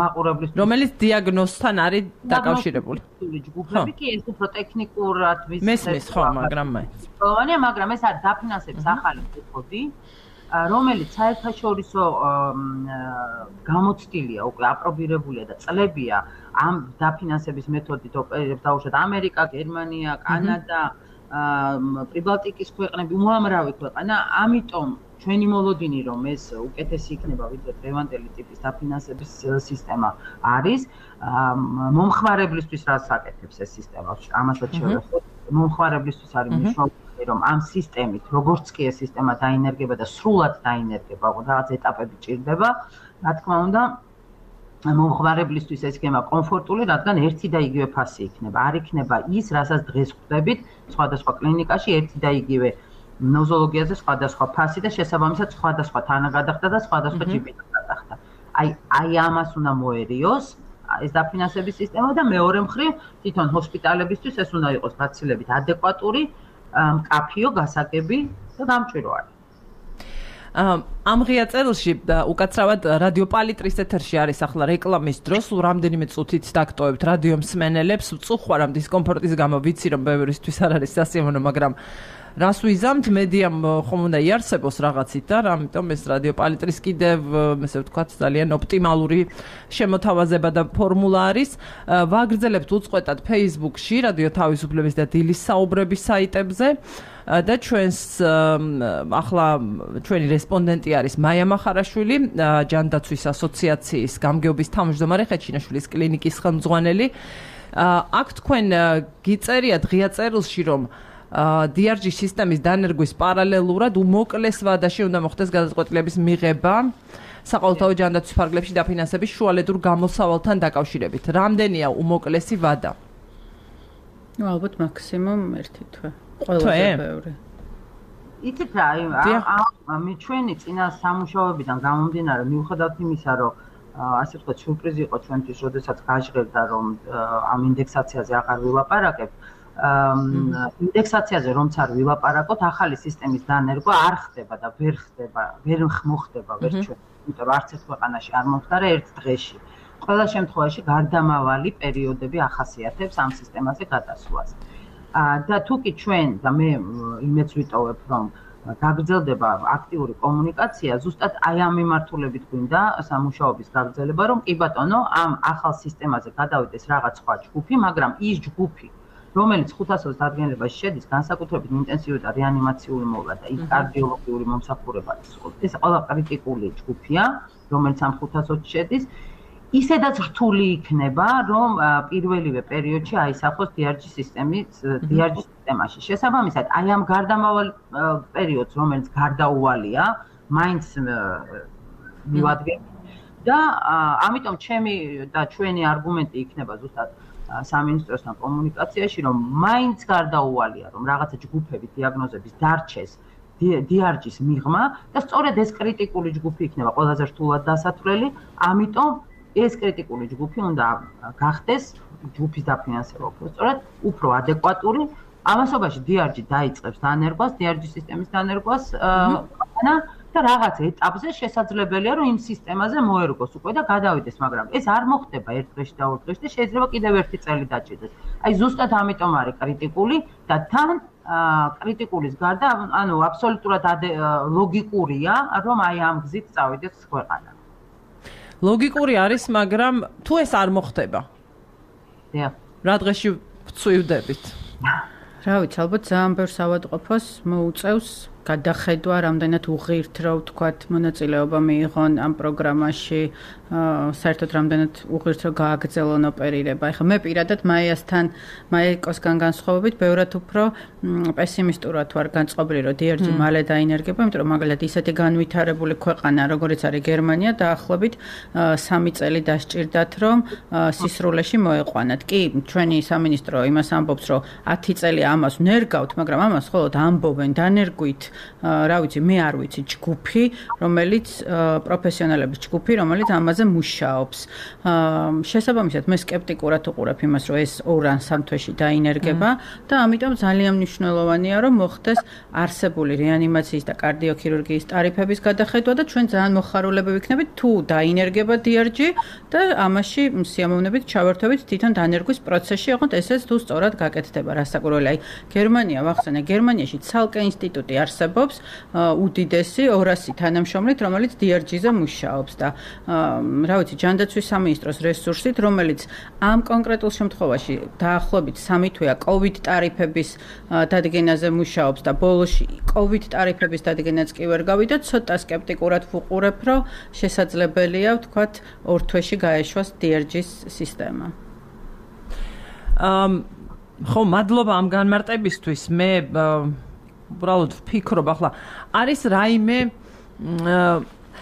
მაყურებლის რომელიც დიაგნოზთან არის დაკავშირებული. ჯგუფები კი ეს უფრო ტექნიკურად ვის მესმის ხო, მაგრამ მაინც. პრობლემაა, მაგრამ ეს არის დაფინანსების ახალი მეთოდი, რომელიც საერთაშორისო გამოცდილია, უკვე აპრობირებულია და წლებია ამ დაფინანსების მეთოდით ოპერირებს დაუშვათ ამერიკა, გერმანია, კანადა, პრიბალტიკის ქვეყნები, უამრავი ქვეყანა, ამიტომ ჩვენი მოლოდინი რომ ეს უკეთესი იქნება, ვიდრე დღევანდელი ტიპის დაფინანსების სისტემა არის, მომხმარებლისთვის რაც აკეთებს ეს სისტემა, ამასაც შევეხოთ, მომხმარებლისთვის არის მნიშვნელოვანი რომ ამ სისტემით, როგორც კი ეს სისტემა დაინერგება და სრულად დაინერგება, რაღაც ეტაპები ჭირდება, რა თქმა უნდა, მომხმარებლისთვის ეს იქნება კომფორტული, რადგან ერთი და იგივე ფასი იქნება. არ იქნება ის, რასაც დღეს ხვდებით სხვადასხვა კლინიკაში, ერთი და იგივე ნოზოლოგიაზე სხვადასხვა ფასი და შესაბამისად სხვადასხვა თანაგადახდა და სხვადასხვა ჯი პი გადახდა. აი, აი ამას უნდა მოერიოს ეს დაფინანსების სისტემა და მეორე მხრივ, თვითონ ჰოსპიტალებისთვის ეს უნდა იყოს გაცილებით ადეკვატური, მკაფიო, გასაგები და გამჭვირვალე. ამ ღია წერილში უკაცრავად რადიო პალიტრის ეთერში არის ახლა რეკლამის დროს, სულ რამდენიმე წუთით დაგტოვებთ რადიო მსმენელებს, ვწუხარ ამ დისკომფორტის გამო, ვიცი რომ ბევრისთვის არ არის სასიამოვნო, მაგრამ რას ვიზამთ, მედიამ ხომ უნდა იარსებოს რაღაცით და ამიტომ ეს რადიო პალიტრის კიდევ, ესე ვთქვათ, ძალიან ოპტიმალური შემოთავაზება და ფორმულა არის. ვაგრძელებთ უწყვეტად Facebook-ში, რადიო თავისუფლების და დილის საუბრების საიტებზე და ჩვენს ახლა ჩვენი რესპონდენტი არის მაია მახარაშვილი, ჯანდაცვის ასოციაციის გამგეობის თავმჯდომარე, ხეჩინაშვილის კლინიკის ხელმძღვანელი. აქ თქვენ გიწერიათ ღია წერილში, რომ დი არ ჯი სისტემის დანერგვის პარალელურად უმოკლეს ვადაში უნდა მოხდეს გადაწყვეტილების მიღება საყოველთაო ჯანდაცვის ფარგლებში დაფინანსების შუალედურ გამოსავალთან დაკავშირებით. რამდენია უმოკლესი ვადა? ნუ ალბათ მაქსიმუმ ერთი თვე. ყველაზე ბევრი. იცით რა, აი ჩვენი წინა სამუშაოებიდან გამომდინარე, მიუხედავად იმისა, რომ ასე ვთქვათ, სიურპრიზი იყო ჩვენთვის, როდესაც გაჟღერდა, რომ ამ ინდექსაციაზე აღარ ვილაპარაკებ. ინდექსაციაზე რომც არ ვილაპარაკოთ, ახალი სისტემის დანერგვა არ ხდება და ვერ ხდება, ვერ მოხდება ვერ ჩვენ, იმიტომ რომ არც ერთ ქვეყანაში არ მომხდარა ერთ დღეში. ყველა შემთხვევაში გარდამავალი პერიოდები ახასიათებს ამ სისტემაზე გადასვლას. და თუ კი ჩვენ და მე იმეც ვიტოვებ, რომ გაგრძელდება აქტიური კომუნიკაცია, ზუსტად აი ამ მიმართულებით გვინდა სამუშაოების გაგრძელება, რომ კი ბატონო, ამ ახალ სისტემაზე გადავიდეს რაღაც სხვა ჯგუფი, მაგრამ ის ჯგუფი რომელიც ხუთასოც დადგენილობაში შედის, განსაკუთრებით ინტენსიური და რეანიმაციული მოვლა და იქ კარდიოლოგიური მომსახურება, ეს ყველა კრიტიკული ჯგუფია, რომელიც ამ ხუთასოც შედის. ისედაც რთული იქნება, რომ პირველივე პერიოდში აისახოს დი არ ჯი სისტემის დი არ ჯი სისტემაში. შესაბამისად, აი ამ გარდამავალ პერიოდს, რომელიც გარდაუვალია, მაინც მივადგენ და ამიტომ ჩემი და ჩვენი არგუმენტი იქნება ზუსტად სამინისტროსთან კომუნიკაციაში, რომ მაინც გარდაუვალია, რომ რაღაცა ჯგუფები დიაგნოზების დარჩეს დი არ ჯის მიღმა და სწორედ ეს კრიტიკული ჯგუფი იქნება ყველაზე რთულად დასათვლელი, ამიტომ ეს კრიტიკული ჯგუფი უნდა გახდეს ჯგუფის დაფინანსება უფრო სწორად, უფრო ადეკვატური. ამასობაში დი არ ჯი დაიწყებს დანერგვას, დი არ ჯი სისტემის დანერგვას და რაღაც ეტაპზე შესაძლებელია, რომ იმ სისტემაზე მოერგოს უკვე და გადავიდეს, მაგრამ ეს არ მოხდება ერთ დღეში და ორ დღეში და შეიძლება კიდევ ერთი წელი დაჭირდეს. აი ზუსტად ამიტომ არის კრიტიკული და თან კრიტიკულის გარდა, ანუ აბსოლუტურად ლოგიკურია, რომ აი ამ გზით წავიდეს ქვეყანა. ლოგიკური არის, მაგრამ თუ ეს არ მოხდება. დიახ. რა დღეში ვწვივდებით? რა ვიცი, ალბათ ძალიან ბევრ ავადმყოფოს მოუწევს გადახედვა, რამდენად უღირთ, რა ვთქვათ, მონაწილეობა მიიღონ ამ პროგრამაში, საერთოდ რამდენად უღირთ, რომ გააგრძელონ ოპერირება. ეხლა მე პირადად მაიასთან, მაიკოსგან განსხვავებით, ბევრად უფრო პესიმისტურად ვარ განწყობილი, რომ დი არ ჯი მალე დაინერგება, იმიტომ რომ მაგალითად ისეთი განვითარებული ქვეყანა, როგორც არის გერმანია, დაახლოებით სამი წელი დასჭირდათ, რომ სისრულეში მოეყვანათ. კი, ჩვენი სამინისტრო იმას ამბობს, რომ ათი წელი ამას ნერგავთ, მაგრამ ამას მხოლოდ ამბობენ, დანერგვით რა ვიცი, მე არ ვიცი ჯგუფი, რომელიც პროფესიონალების ჯგუფი, რომელიც ამაზე მუშაობს. შესაბამისად, მე სკეპტიკურად უყურებ იმას, რომ ეს ორ ან სამ თვეში დაინერგება და ამიტომ ძალიან მნიშვნელოვანია, რომ მოხდეს არსებული რეანიმაციის და კარდიოქირურგიის ტარიფების გადახედვა და ჩვენ ძალიან მოხარულები ვიქნებით, თუ დაინერგება დი არ ჯი და ამაში სიამოვნებით ჩავერთვებით თვითონ დანერგვის პროცესში, ოღონდ ესეც თუ სწორად გაკეთდება, რასაკვირველია. აი, გერმანია ვახსენე, გერმანიაში ცალკე ინსტიტუტი არსებობს უდიდესი ორასი თანამშრომლით, რომელიც დი არ ჯი-ზე მუშაობს და რა ვიცი, ჯანდაცვის სამინისტროს რესურსით, რომელიც ამ კონკრეტულ შემთხვევაში დაახლოებით სამი თვეა კოვიდ ტარიფების დადგენაზე მუშაობს და ბოლოში კოვიდ ტარიფების დადგენაც კი ვერ გავიდა, ცოტა სკეპტიკურად ვუყურებ, რომ შესაძლებელია, ვთქვათ, ორ თვეში გაეშვას დი არ ჯის სისტემა. ხო, მადლობა ამ განმარტებისთვის. მე უბრალოდ ვფიქრობ, ახლა არის რაიმე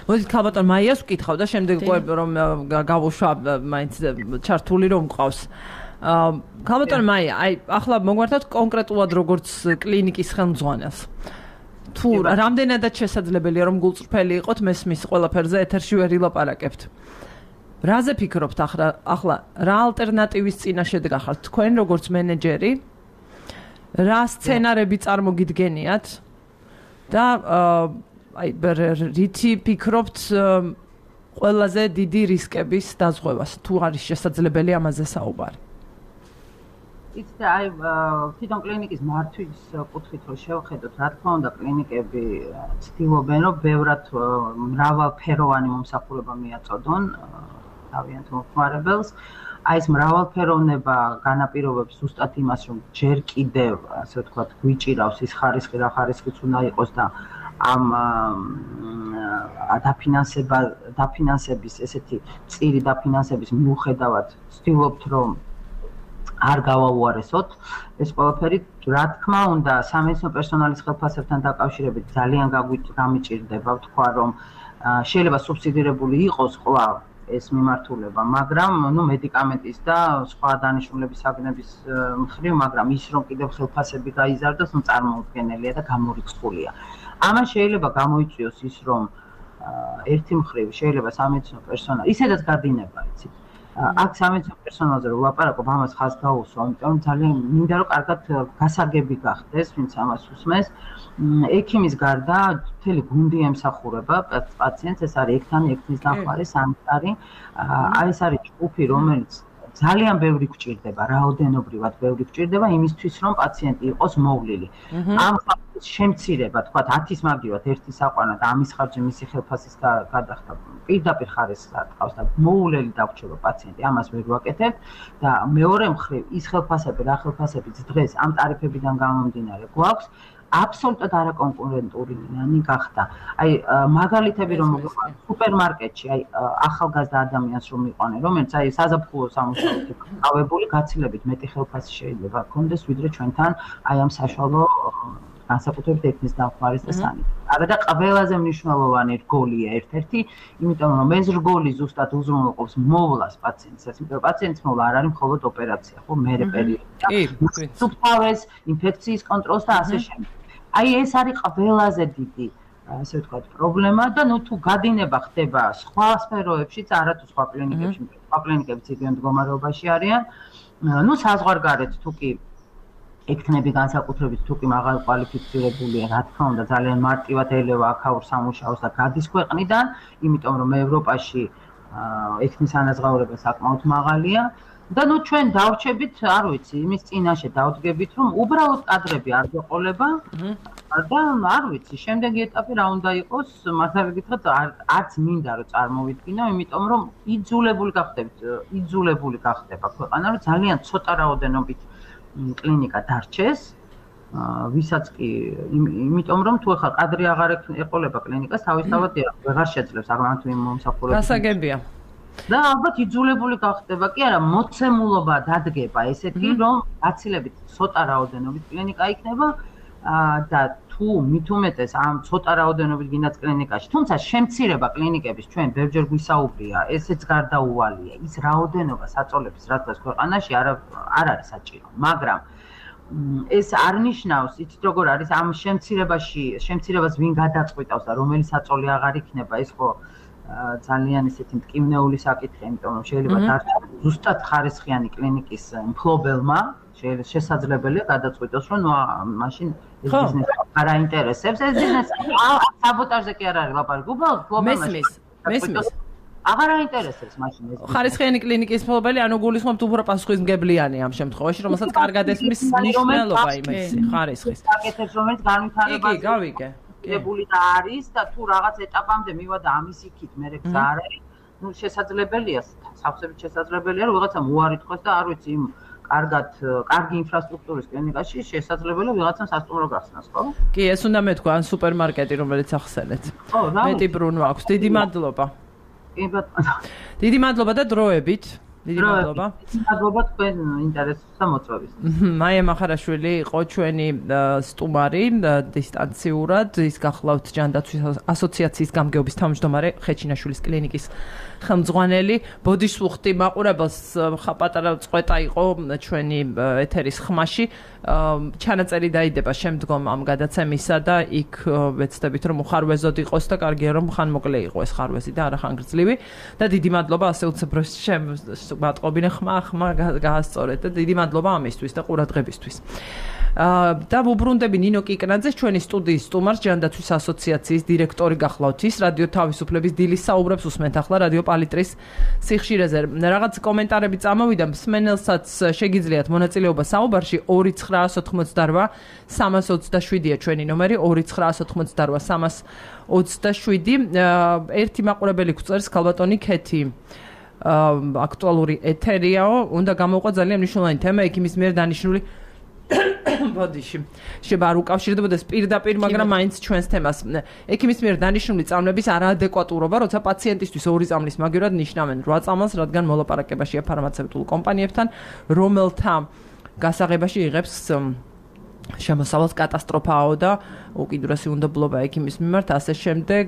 მოდით ქალბატონ მაიას ვკითხავ და შემდეგ რომ გავუშვა მაინც ჩართული რომ მყავს. ქალბატონ მაია, აი ახლა მოგვართოთ კონკრეტულად როგორც კლინიკის ხელმძღვანელს. თუ რამდენადაც შესაძლებელია რომ გულწრფელი იყოთ, მესმის ყველაფერზე ეთერში ვერ ილაპარაკებთ. რაზე ფიქრობთ ახლა, ახლა რა ალტერნატივის წინაშე დგახართ თქვენ როგორც მენეჯერი? რა სცენარები წარმოგიდგენიათ და აი რითი ფიქრობთ ყველაზე დიდი რისკების დაზღვევას, თუ არის შესაძლებელი ამაზე საუბარი? იცით, აი თვითონ კლინიკის მართვის კუთხით რო შევხედოთ, რა თქმა უნდა კლინიკები ცდილობენ, რომ ბევრად მრავალფეროვანი მომსახურება მიაწოდონ თავიანთ მომხმარებელს. აი ეს მრავალფეროვნება განაპირობებს ზუსტად იმას, რომ ჯერ კიდევ, ასე ვთქვათ, გვიჭირავს ის ხარისხი, რა ხარისხიც უნდა იყოს და ამ დაფინანსება, დაფინანსების ესეთი წირი დაფინანსების მიუხედავად ვცდილობთ, რომ არ გავაუარესოთ ეს ყველაფერი. რა თქმა უნდა, სამედიცინო პერსონალის ხელფასებთან დაკავშირებით ძალიან გამიჭირდება ვთქვა, რომ შეიძლება სუბსიდირებული იყოს კვლავ ეს მიმართულება, მაგრამ ნუ მედიკამენტის და სხვა დანიშნულების საგნების მხრივ, მაგრამ ის რომ კიდევ ხელფასები გაიზარდოს, ნუ წარმოუდგენელია და გამორიცხულია. ამან შეიძლება გამოიწვიოს ის, რომ ერთი მხრივ შეიძლება სამედიცინო პერსონალი, ისედაც გადინება, იცით. აქ სამედიცინო პერსონალზე რომ ვლაპარაკობ, ამას ხაზს გაუსვა, იმიტომ რომ ძალიან მინდა რომ კარგად გასაგები გახდეს, ვინც ამას უსმენს. ექიმის გარდა მთელი გუნდი ემსახურება პაციენტს, ეს არის ექთანი, ექთნის დამხმარე, სანიტარი. აი ეს არის ჯგუფი, რომელიც ძალიან ბევრი გვჭირდება, რაოდენობრივად ბევრი გვჭირდება იმისთვის, რომ პაციენტი იყოს მოვლილი. ამ ხალხის შემცირება, თქვათ, ათის მაგივად ერთი საყვანა და ამის ხარჯი მისი ხელფასის გადახდა პირდაპირ ხარისხს ატყავს და მოვლელი დაგვრჩება პაციენტი, ამას ვერ ვაკეთებ და მეორე მხრივ ის ხელფასები, რა ხელფასებიც დღეს ამ ტარიფებიდან გამომდინარე გვაქვს, აბსოლუტურად არაკონკურენტული გახდა. აი მაგალითები რომ სუპერმარკეტში აი ახალგაზრდა ადამიანს რომ მიყვანენ, რომელიც აი საზაფხულო სამუშაოდ გავებული, გაცილებით მეტი ხელფასი შეიძლება ჰქონდეს, ვიდრე ჩვენთან აი ამ საშუალო განსაკუთრებით ეთნის დამხმარის და სანიტარის. არა და ყველაზე მნიშვნელოვანი რგოლია ერთ-ერთი, იმიტომ რომ ეს რგოლი ზუსტად უზრუნველყოფს მოვლას პაციენტს, იმიტომ რომ პაციენტის მოვლა არ არის მხოლოდ ოპერაცია, ხო, მერე პერიოდი. სუფთავეს, ინფექციის კონტროლს და ასე შემდეგ. აი ეს არის ყველაზე დიდი, ასე ვთქვათ, პრობლემა და ნუ თუ გადინება ხდება სხვა სფეროებშიც, არა თუ სხვა კლინიკებში, სხვა კლინიკებიც იგივე მდგომარეობაში არიან. ნუ საზღვარგარეთ თუ კი ექნები განსაკუთრებით თუ კი მაღალ კვალიფიცირებულია, რა თქმა უნდა, ძალიან მარტივად ელევა აქაურ სამუშაოს და გადის ქვეყნიდან, იმიტომ რომ ევროპაში ექნის ანაზღაურება საკმაოდ მაღალია და ნუ ჩვენ დავრჩებით, არ ვიცი, იმის წინაშე დავდგებით, რომ უბრალოდ კადრები არ გვეყოლება და არ ვიცი, შემდეგი ეტაპი რა უნდა იყოს, მასალა გითხრათ, არც მინდა რომ წარმოვიდგინო, იმიტომ რომ იძულებული გახდებით, იძულებული გახდება ქვეყანა, რომ ძალიან ცოტა რაოდენობით კლინიკა დარჩეს, ვისაც კი, იმიტომ რომ თუ ახლა კადრი აღარ ეყოლება კლინიკას, თავისთავად ვეღარ შეძლებს აღარ თუ იმ მომსახურებას. გასაგებია. და ალბათ იძულებული გახდება, კი არა, მოცემულობა დადგება ესეთი, რომ გაცილებით ცოტა რაოდენობით კლინიკა იქნება და თუ მით უმეტეს ამ ცოტა რაოდენობით გინდათ კლინიკაში, თუმცა შემცირება კლინიკების ჩვენ ბევრჯერ გვისაუბრია, ესეც გარდაუვალია, ის რაოდენობა საწოლების რაც დგას ქვეყანაში არ არ არის საჭირო, მაგრამ ეს არ ნიშნავს, იცით როგორ არის ამ შემცირებაში, შემცირებას ვინ გადაწყვეტავს და რომელი საწოლი აღარ იქნება, ეს ხო ძალიან ისეთი მტკივნეული საკითხია, იმიტომ რომ შეიძლება დარჩეს ზუსტად ხარისხიანი კლინიკის მფლობელმა, შესაძლებელია გადაწყვიტოს, რომ მაშინ ეს ბიზნესი არ აინტერესებს, ეს ბიზნესი საბოტაჟზე კი არ არის ლაპარაკი, უბრალოდ მფლობელმა მესმის. აღარ აინტერესებს მაშინ ეს. ხარისხიანი კლინიკის მფლობელი, ანუ გულისხმობთ უფრო პასუხისმგებლიანი ამ შემთხვევაში, რომელსაც კარგად ესმის მნიშვნელობა იმის ხარისხის. საკეთებს, რომელიც განვითარებას იგი გავიგე. ებული და არის და თუ რაღაც ეტაპამდე მივა და ამის იქით მერე გზა არ არის, ნუ შესაძლებელია, სავსებით შესაძლებელია, რომ ვიღაცამ უარი თქვას და არ ვიცი, იმ კარგად, კარგი ინფრასტრუქტურის კლინიკაში შესაძლებელია ვიღაცამ სასტუმრო გახსნას, ხო? კი, ეს უნდა მეთქვა, ან სუპერმარკეტი, რომელიც ახსენეთ. ხო, რა. მეტი ბრუნვა აქვს. დიდი მადლობა. კი ბატონო. დიდი მადლობა და დროებით. დიდი მადლობა. მადლობა თქვენ ინტერესს და მოწვევისთვის. მაია მახარაშვილი იყო ჩვენი სტუმარი დისტანციურად, ის გახლავთ ჯანდაცვის ასოციაციის გამგეობის თავმჯდომარე, ხეჩინაშვილის კლინიკის ხელმძღვანელი. ბოდიშს ვუხდი მაყურებელს, ხაპატარა წყვეტა იყო ჩვენი ეთერის ხმაში. ჩანაწერი დაიდება შემდგომ ამ გადაცემისა და იქ ვეცდებით რომ უხარვეზოდ იყოს და კარგია რომ ხანმოკლე იყო ეს ხარვეზი და არა ხანგრძლივი და დიდი მადლობა ასე უცებროს შემატყობინე ხმა ხმა გაასწორეთ და დიდი მადლობა ამისთვის და ყურადღებისთვის. და ვუბრუნდები ნინო კიკნაძეს, ჩვენი სტუდიის სტუმარს, ჯანდაცვის ასოციაციის დირექტორი გახლავთ ის, რადიო თავისუფლების დილის საუბრებს უსმენთ ახლა რადიო პალიტრის სიხშირეზე. რაღაც კომენტარები წამოვიდა, მსმენელსაც შეგიძლიათ მონაწილეობა საუბარში ორი ცხრაასი ოთხმოცდარვა სამას ოცდაშვიდია ჩვენი ნომერი ორი ცხრაასი ოთხმოცდარვა სამას ოცდაშვიდი. ერთი მაყურებელი გვწერს ქალბატონი ქეთი. აქტუალური ეთერიაო, უნდა გამოვყვა ძალიან მნიშვნელოვანი თემა, იქ იმის მიერ დანიშნული ბოდიში. შეიძლება არ უკავშირდებოდეს პირდაპირ, მაგრამ მაინც ჩვენს თემას. ექიმის მიერ დანიშნული წამლების არაადეკვატურობა, როცა პაციენტისთვის ორი წამლის მაგივრად ნიშნავენ რვა წამლს, რადგან მოლაპარაკებაშია ფარმაცევტულ კომპანიებთან, რომელთა გასაღებაში იღებს შემოსავალს კატასტროფაო და უკიდურესი უნდობლობა ექიმის მიმართ, ასე შემდეგ.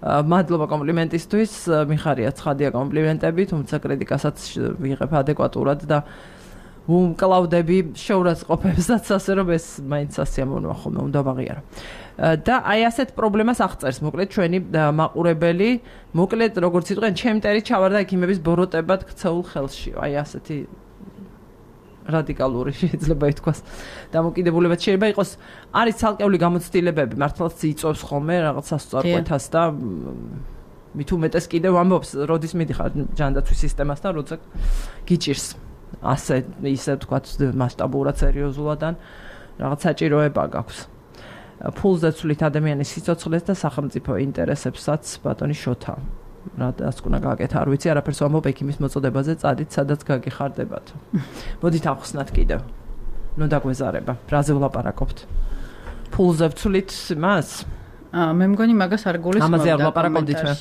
მადლობა კომპლიმენტისთვის, მიხარია ცხადია კომპლიმენტები, თუმცა კრიტიკასაც ვიღებ ადეკვატურად და ვუმკლავდები შეურაცხყოფებსაც, ასე რომ ეს მაინც ასიამოვნოა ხოლმე, უნდა ვაღიარო. და აი ასეთ პრობლემას აღწერს მოკლედ ჩვენი მაყურებელი, მოკლედ როგორც იტყვიან, ჩემტერი ჩავარდა ექიმების ბოროტებად ქცეულ ხელში. აი ასეთი რადიკალური შეიძლება ითქვას დამოკიდებულებაც შეიძლება იყოს. არის ცალკეული გამოცდილებები, მართლაც იწვევს ხოლმე რაღაც სასწორკვეთას და მით უმეტეს კიდევ ამბობს, როდის მიდიხარ ჯანდაცვის სისტემასთან, როცა გიჭირს ასე ისე ვთქვათ მასშტაბურად სერიოზულადან რაღაც საჭიროება გაქვს. ფულზე ცვლით ადამიანის სიცოცხლეს და სახელმწიფო ინტერესებსაც ბატონი შოთა. რა დასკვნა გააკეთა, არ ვიცი, არაფერს ვამბობ ექიმის მოწოდებაზე, წადით, სადაც გაგიხარდებათ. მოდით ახსნათ კიდევ. ნუ დაგვეზარება, რაზე ვლაპარაკობთ. ფულზე ვცვლით მას? აა მე მგონი მაგას არ გულისხმობ. ამაზე არ ვლაპარაკობდით მე.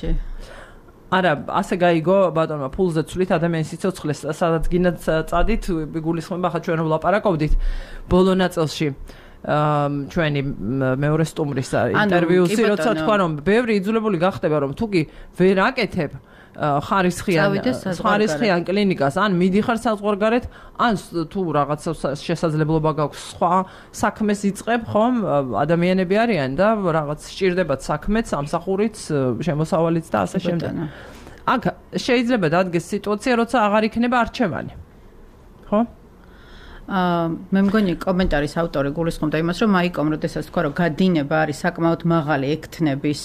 არა, ასე გაიგო ბატონმა ფულზე ვცვლით ადამიანის სიცოცხლეს, სადაც გინდათ წადით, გულისხმობა ხა ჩვენ ვლაპარაკობდით ბოლო ნაწილში. ჩვენი მეორე სტუმრის ინტერვიუსი როცა თქვა რომ ბევრი იძულებული გახდება რომ თუ კი ვერ აკეთებ ხარისხიან ხარისხიან კლინიკას ან მიდიხარ საზღვარგარეთ ან თუ რაღაცა შესაძლებლობა გაქვს სხვა საქმეს იწყებ ხომ ადამიანები არიან და რაღაც სჭირდებათ საქმეც სამსახურიც შემოსავალიც და ასე შემდეგ აქ შეიძლება დადგეს სიტუაცია როცა აღარ იქნება არჩევანი ხო აა მე მგონი კომენტარის ავტორი გულისხმობდა იმას, რომ მაიკომ როდესაც თქვა, რომ გადინება არის საკმაოდ მაღალი ექთნების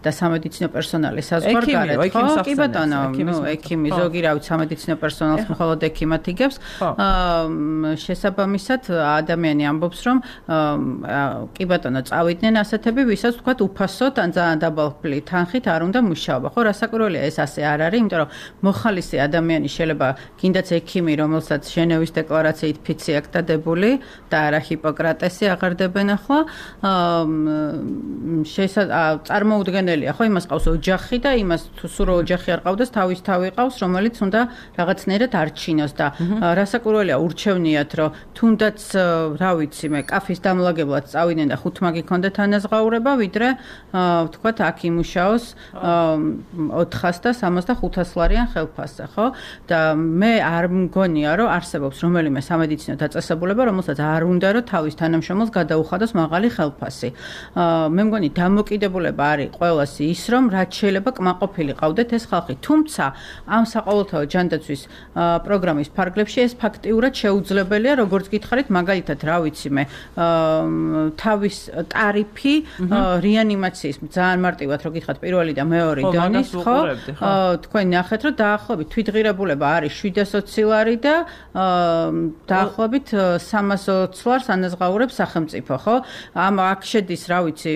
და სამედიცინო პერსონალის საზღვარგარეთ, ხო? კი ბატონო, ნუ ექიმი ზოგი რა ვიცი სამედიცინო პერსონალს მხოლოდ ექიმად იგებს. აა შესაბამისად ადამიანი ამბობს, რომ კი ბატონო, წავიდნენ ასეთები, ვისაც თქვა უფასოდ ან ძალიან დაბალი თანხით არ უნდა მუშაობა, ხო? რასაკვირველია ეს ასე არ არის, იმიტომ რომ მოხალისე ადამიანი შეიძლება გინდაც ექიმი, რომელსაც ჟენევის დეკლარაციით ფიცი აქტადებული და არა ჰიპოკრატესი აღარდებენ ახლა აა წარმოუდგენელია ხო იმას ყავს ოჯახი და იმას თუ სულ ოჯახი არ ყავდეს თავის თავი ყავს რომელიც უნდა რაღაცნაირად არჩინოს და რასაკვირველია ურჩევნიათ რომ თუნდაც რა ვიცი მე კაფის დამლაგებლად წავიდნენ და ხუთმა გიქონდეთ ანაზღაურება ვიდრე ვთქვათ აქ იმუშაოს ოთხას და სამას და ხუთას ლარიან ხელფასზე ხო და მე არ მგონია რომ არსებობს რომელიმე სამედიცინო დაწესებულება, რომელსაც არ უნდა რომ თავის თანამშრომელს გადაუხადოს მაღალი ხელფასი. მე მგონი დამოკიდებულება არის ყველას ის, რომ რაც შეიძლება კმაყოფილი ყავდეთ ეს ხალხი. თუმცა ამ საყოველთაო ჯანდაცვის პროგრამის ფარგლებში ეს ფაქტიურად შეუძლებელია, როგორც გითხარით, მაგალითად, რა ვიცი მე, თავის ტარიფი რეანიმაციის ძალიან მარტივად რო გითხარით პირველი და მეორე დონის, ხო? თქვენ ნახეთ, რომ დაახლოებით თვითღირებულება არის შვიდას ოცი ლარი და დაახლოებით სამას ოცი ლარს ანაზღაურებს სახელმწიფო, ხო? ამ აქ შედის, რა ვიცი,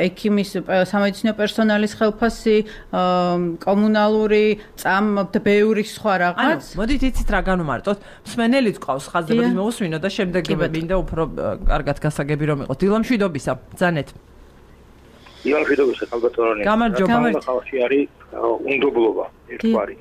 ექიმის სამედიცინო პერსონალის ხელფასი, კომუნალური წამ და ბევრი სხვა რაღაც. ანუ, მოდით იცით რა განვმარტოთ? მსმენელიც ყავს ხაზებად მოусმინო და შემდეგ მინდა უფრო კარგად გასაგები რომ იყოს. დილა მშვიდობისა, ბრძანეთ. დილა მშვიდობისა, ხალბატონი. გამარჯობა. ხალხი არის უნდობლობა, ერთგვარი.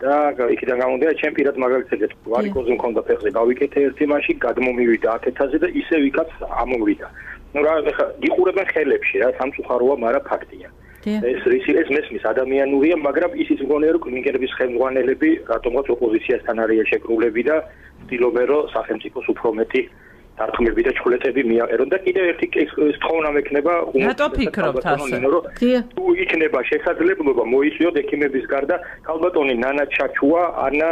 და იქიდან გამომდინარე ჩემ პირად მაგალითად ვარიკოზი მქონდა ფეხზე გავიკეთე ერთი მაში გადმომივიდა ათეთაზე და ისე ვიკაც ამოვიდა. ნუ რა ეხა იყურებენ ხელებში რა სამწუხაროა, მაგრამ ფაქტია. ეს ის ეს მესმის ადამიანურია, მაგრამ ისიც მგონია რომ კლინიკების ხელმძღვანელები რატომღაც ოპოზიციასთან არიან შეკრულები და ცდილობენ რომ სახელმწიფოს უფრო მეტი დარქმები და ჩხლეტები მიაყერონ და კიდევ ერთი თხოვნა მექნება რატო ფიქრობთ ასე? თუ იქნება შესაძლებლობა მოიწვიოთ ექიმების გარდა ქალბატონი ნანა ჩაჩუა, ანა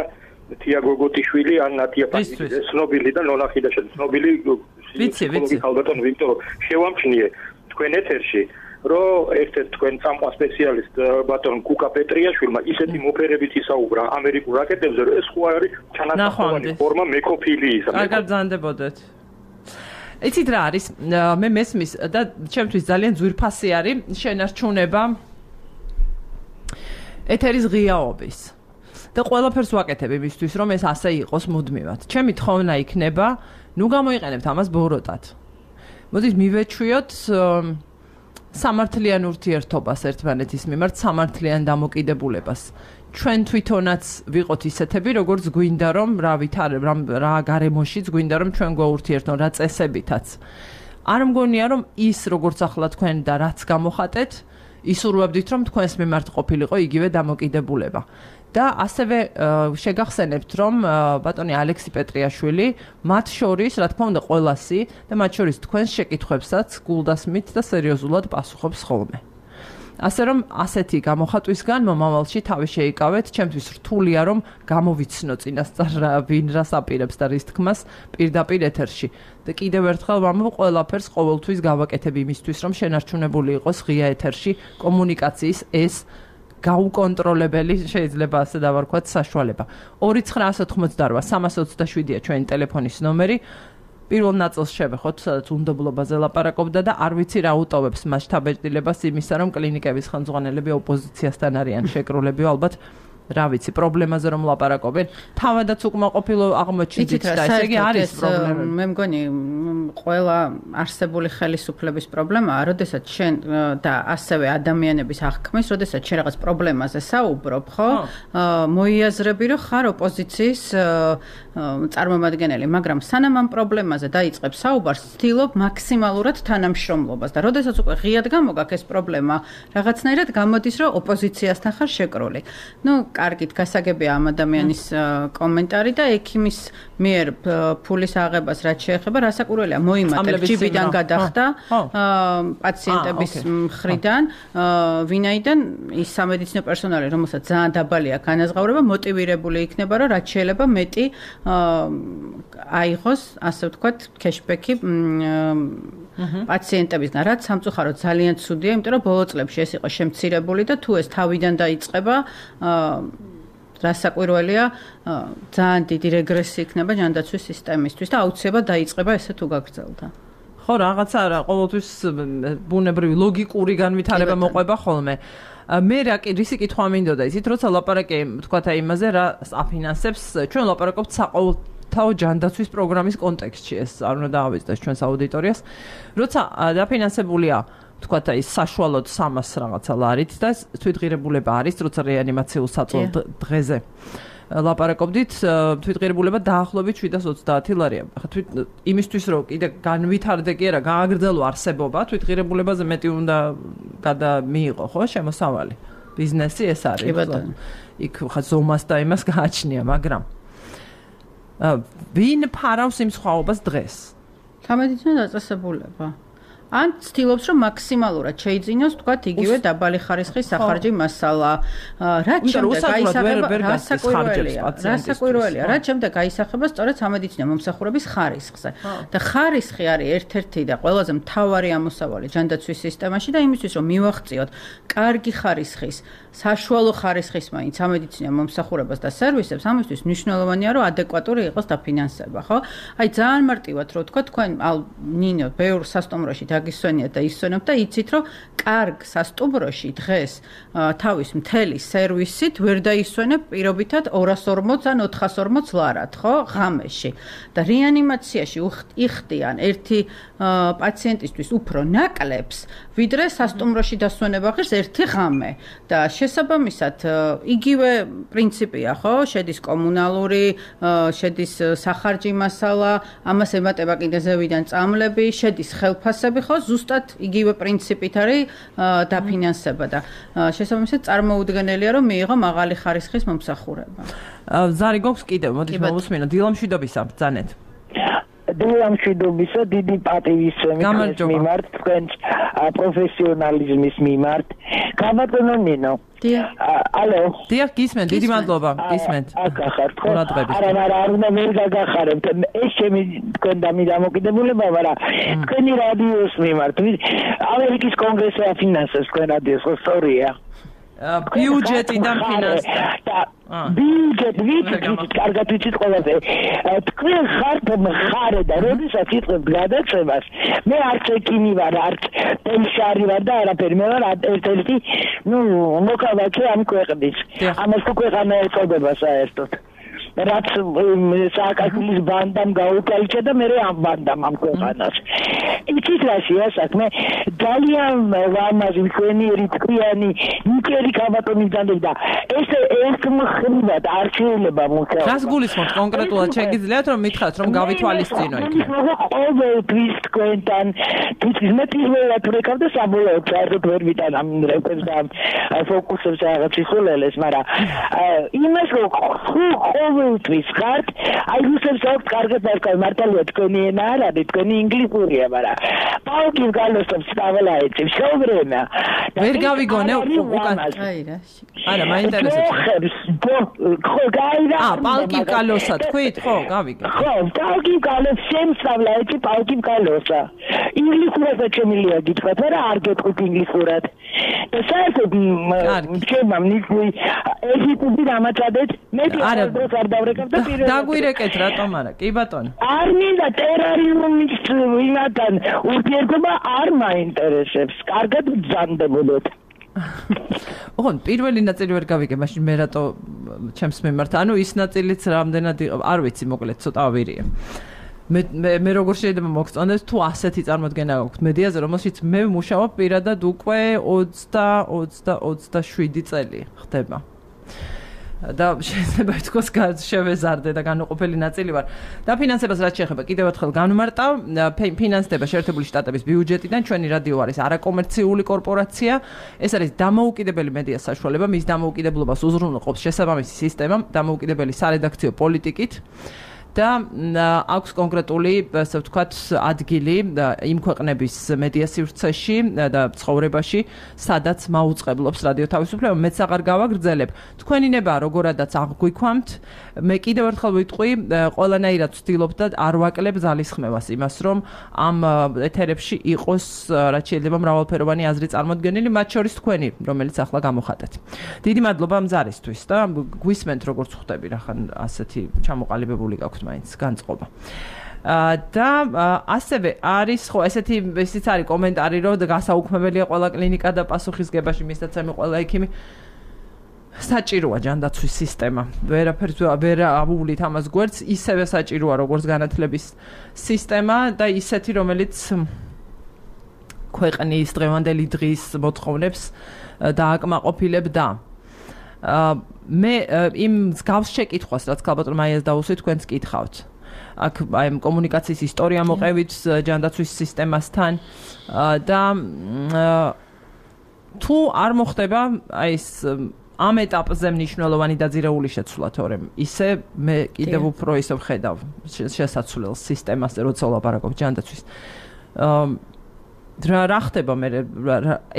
თია გოგოტიშვილი, ან ნატია პანიძე, ცნობილი და ნონახი და ცნობილი ვიცი, ვიცი. ქალბატონი, იმიტომ რომ შევამჩნიე თქვენ ეთერში რომ ერთ-ერთ თქვენ წამყვა სპეციალისტ ბატონ კუკა პეტრიაშვილმა ისეთი მოფერებით ისაუბრა ამერიკულ რაკეტებზე, რომ ეს ხო არის ჩანასახმოვანი ფორმა მეკოფილიისა. კარგად ბრძანდებოდეთ. იცით რა არის? მე მესმის და ჩემთვის ძალიან ძვირფასი არის შენარჩუნება ეთერის ღიაობის. და ყველაფერს ვაკეთებ იმისთვის, რომ ეს ასე იყოს მუდმივად. ჩემი თხოვნა იქნება, ნუ გამოიყენებთ ამას ბოროტად. მოდით მივეჩვიოთ სამართლიან ურთიერთობას ერთმანეთის მიმართ, სამართლიან დამოკიდებულებას. ჩვენ თვითონაც ვიყოთ ისეთები, როგორც გვინდა რომ რა ვითარ რა გარემოშიც გვინდა რომ ჩვენ გვაურთიერთონ რა წესებითაც. არ მგონია რომ ის როგორც ახლა თქვენ და რაც გამოხატეთ, ისურვებდით რომ თქვენს მიმართ ყოფილიყო იგივე დამოკიდებულება. და ასევე შეგახსენებთ რომ ბატონი ალექსი პეტრიაშვილი მათ შორის რა თქმა უნდა ყველასი და მათ შორის თქვენს შეკითხვებსაც გულდასმით და სერიოზულად პასუხობს ხოლმე. ასე რომ ასეთი გამოხატვისგან მომავალში თავი შეიკავეთ, ჩემთვის რთულია რომ გამოვიცნო წინასწარ ვინ რას აპირებს და რის თქმას პირდაპირ ეთერში. და კიდევ ერთხელ ვამბობ, ყველაფერს ყოველთვის გავაკეთებ იმისთვის, რომ შენარჩუნებული იყოს ღია ეთერში კომუნიკაციის ეს გაუკონტროლებელი შეიძლება ასე დავარქვათ საშუალება. ორი ცხრა ათი ოცდაოთხ სამას ოცდაშვიდია ჩვენი ტელეფონის ნომერი. პირველ ნაწილს შევეხოთ, სადაც უნდობლობაზე ლაპარაკობდა და არ ვიცი რა უტოვებს მას შთაბეჭდილებას იმისა, რომ კლინიკების ხელმძღვანელები ოპოზიციასთან არიან შეკრულები, ალბათ რა ვიცი, პრობლემაზე რომ ლაპარაკობენ, თავადაც უკმაყოფილო აღმოჩნდით და ესე იგი არის პრობლემა. მე მგონი ყველა არსებული ხელისუფლების პრობლემაა, როდესაც შენ და ასევე ადამიანების აღქმის, როდესაც შენ რაღაც პრობლემაზე საუბრობ, ხო? მოიაზრები, რომ ხარ ოპოზიციის წარმომადგენელი, მაგრამ სანამ ამ პრობლემაზე დაიწყებ საუბარს, ცდილობ მაქსიმალურად თანამშრომლობას და როდესაც უკვე ღიად გამოგაქ ეს პრობლემა, რაღაცნაირად გამოდის, რომ ოპოზიციასთან ხარ შეკრული. ნუ, კარგით, გასაგებია ამ ადამიანის კომენტარი და ექიმის მიერ ფულის აღებას რაც შეეხება, რასაკვირველია, მოიმატებ ჯიბიდან გადახდა პაციენტების მხრიდან, ვინაიდან ის სამედიცინო პერსონალი, რომელსაც ძალიან დაბალი აქვს განაზღაურება, მოტივირებული იქნება, რომ რაც შეიძლება მეტი აიღოს, ასე ვთქვათ, cashback-ი პაციენტებისგან, რაც სამწუხაროდ ძალიან ცუდია, იმიტომ რომ ბოლო წლებში ეს იყო შემცირებული და თუ ეს თავიდან დაიწყება, რასაკვირველია, ძალიან დიდი რეგრესი იქნება ჯანდაცვის სისტემისთვის და აუცილებლად დაიწყება ესე თუ გაგრძელდა. ხო, რაღაცა რა, ყოველთვის ბუნებრივი ლოგიკური განვითარება მოყვება ხოლმე. მე რა კი რისი კითხვა მინდოდა იცით, როცა ლაპარაკი თქვათ აი იმაზე რა აფინანსებს, ჩვენ ლაპარაკობთ საყოველთაო ჯანდაცვის პროგრამის კონტექსტში, ეს არ უნდა დაავიწყდეს ჩვენს აუდიტორიას. როცა დაფინანსებულია თქვათ აი საშუალოდ სამას რაღაცა ლარით და თვითღირებულება არის, როცა რეანიმაციულ საწოლ დღეზე ლაპარაკობდით, თვითღირებულება დაახლოებით შვიდას ოცდაათი ლარია. ხა თვით იმისთვის რომ კიდე განვითარდე კი არა, გააგრძელო არსებობა, თვითღირებულებაზე მეტი უნდა გადამიიღო, ხო, შემოსავალი. ბიზნესი ეს არის. კი ბატონო. იქ ხა ზომას და იმას გააჩნია, მაგრამ ვინ ფარავს იმ სხვაობას დღეს? სამედიცინო დაწესებულება. ან ცდილობს რომ მაქსიმალურად შეიძინოს თქვა იგივე დაბალი ხარისხის სახარჯი მასალა. რაც შემდეგ გაისახება რასაკვირველია, რასაკვირველია, რაც შემდეგ გაისახება სწორედ სამედიცინო მომსახურების ხარისხზე. და ხარისხი არის ერთ-ერთი და ყველაზე მთავარი ამოსავალი ჯანდაცვის სისტემაში და იმისთვის რომ მივახციოთ კარგი ხარისხის, საშუალო ხარისხის მაინც სამედიცინო მომსახურებას და სერვისებს, ამისთვის მნიშვნელოვანია რომ ადეკვატური იყოს დაფინანსება, ხო? აი ძალიან მარტივად რო თქვა, თქვენ ნინო ბევრ სასტუმროში გისვენიათ და ისვენებთ და იცით რომ კარგ სასტუმროში დღეს თავის მთელი სერვისით ვერ დაისვენებ პირობითად ორას ორმოც ან ოთხას ორმოც ლარად, ხო, ღამეში. და რეანიმაციაში იხდიან ერთი პაციენტისთვის უფრო ნაკლებს, ვიდრე სასტუმროში დასვენება ღირს ერთი ღამე. და შესაბამისად იგივე პრინციპია, ხო, შედის კომუნალური, შედის სახარჯი მასალა, ამას ემატება კიდე ზევიდან წამლები, შედის ხელფასები, ხო, ზუსტად იგივე პრინციპით არის დაფინანსება და შესაბამისად წარმოუდგენელია რომ მიიღო მაღალი ხარისხის მომსახურება. ზარი გვაქვს კიდევ, მოდით მოვუსმინო დილამშვიდობისა ბრძანეთ. დილამშვიდობისა, დიდი პატივისცემის მიმართ, თქვენ პროფესიონალიზმის მიმართ. გაბატონო ნინო. ალო. დიახ, გისმენთ, დიდი მადლობა, გისმენთ. აკახართ ხო? არა, არა, არ უნდა ვერ გაგახარებთ. ეს ჩემი თქვენ დამოკიდებულება, მაგრამ თქვენი რადიოს მიმართ. ამერიკის კონგრესი აფინანსებს თქვენ რადიოს, ხო, სწორია? ბიუჯეტიდან ფინანსდება. ბიუჯეტ ვიცით, კარგად ვიცით ყველაზე. თქვენ ხართ მხარე და როდესაც იწყებთ გადაცემას, მე არც ექიმი ვარ, არც პენსიარი ვარ და არაფერი, მე ვარ ერთ-ერთი, ნუ, მოქალაქე ამ ქვეყნის. ამას თუ ქვეყანა ეწოდება საერთოდ. რაც სააკაშვილის ბანდამ გაუკაიჭა და მე ამ ბანდამ ამ ქვეყანას. იცით რაშია საქმე? ძალიან ლამაზი, მშვენიერი, თქვენი, ნიკერი კაბატონის დანდება და ეს ერთმხრივად არ შეიძლება მუშაობა. რას გულისხმობთ კონკრეტულად? შეგიძლიათ რომ მითხრათ რომ გავითვალისწინო იქ? ყოველთვის თქვენთან თვითონ მე პირველად ვეკავ და საბოლოოდ საერთოდ ვერ ვიტან ამ რეპერს და ფოკუსებს რაღაც იხოლელეს, მაგრამ იმას რომ ყოველთვის ხართ, აი რუსებს აქვს კარგად არქავ მართალია თქვენი ენა არ არის, თქვენი ინგლისურია, მაგრამ პაუკის გალოსებს სტაველა ეცი, всё время. ვერ გავიგონე უკან. აი რა. არა, მაინტერესებს. ხო, გაიგე. აა, პაუკი გალოსა თქვით, ხო, გავიგე. ხო, პაუკი გალოს შემსავლა ეცი, პაუკი გალოსა. ინგლისურად შემილია გითხრათ, მაგრამ არ გეტყვით ინგლისურად. და საერთოდ ჩემმა ნიშნული ეჟიპტი დამაწადეთ, მე დღეს არ დავრეკავ და პირველად დაგვირეკეთ რატომ არა? კი ბატონო. არ მინდა ტერარიუმის ვინათან ურთიერთობა არ მაინტერესებს. კარგად ბრძანდებოდეთ. ოღონდ პირველი ნაწილი ვერ გავიგე, მაშინ მე რატო ჩემს მიმართ. ანუ ის ნაწილიც რამდენად არ ვიცი, მოკლედ ცოტა ვირია. მე მე როგორ შეიძლება მოგწონდეს თუ ასეთი წარმოდგენა გაქვთ მედიაზე, რომელშიც მე ვმუშაობ პირადად უკვე ოცდა ოცდაშვიდი წელი ხდება. და შეიძლება ითქვას შევეზარდე და განუყოფელი ნაწილი ვარ. და ფინანსებას რაც შეეხება, კიდევ ერთხელ განვმარტავ, ფინანსდება შეერთებული შტატების ბიუჯეტიდან, ჩვენი რადიო არის არაკომერციული კორპორაცია, ეს არის დამოუკიდებელი მედიას საშუალება, მის დამოუკიდებლობას უზრუნველყოფს შესაბამისი სისტემა, დამოუკიდებელი სარედაქციო პოლიტიკით. და აქვს კონკრეტული, ასე ვთქვათ, ადგილი იმ ქვეყნების მედია სივრცეში და ცხოვრებაში, სადაც მაუწყებლობს რადიო თავისუფლება, მეც აღარ გავაგრძელებ. თქვენი ნება როგორადაც აღგვიქვამთ, მე კიდევ ერთხელ ვიტყვი, ყველანაირად ვცდილობ და არ ვაკლებ ძალისხმევას იმას, რომ ამ ეთერებში იყოს რაც შეიძლება მრავალფეროვანი აზრი წარმოდგენილი, მათ შორის თქვენი, რომელიც ახლა გამოხატეთ. დიდი მადლობა მზარისთვის და გვისმენთ როგორც ხვდები, რახან ასეთი ჩამოყალიბებული გაქვთ მაინც განწყობა. და ასევე არის ხო ესეთი ისიც არის კომენტარი რომ გასაუქმებელია ყველა კლინიკა და პასუხისგებაში მისაცემი ყველა ექიმი საჭიროა ჯანდაცვის სისტემა. ვერაფერს ვერ ავუვლით ამას გვერდს, ისევე საჭიროა როგორც განათლების სისტემა და ისეთი რომელიც ქვეყნის დღევანდელი დღის მოთხოვნებს დააკმაყოფილებდა. მე იმ მსგავს შეკითხვას, რაც ქალბატონ მაიას დაუსვით, თქვენც კითხავთ. აქ აი კომუნიკაციის ისტორია მოყევით ჯანდაცვის სისტემასთან და თუ არ მოხდება აი ეს ამ ეტაპზე მნიშვნელოვანი დაძირეული შეცვლა, თორემ ისე მე კიდევ უფრო ისე ვხედავ შესაძლოა სისტემაზე, როცა ვლაპარაკობ ჯანდაცვის. რა ხდება მე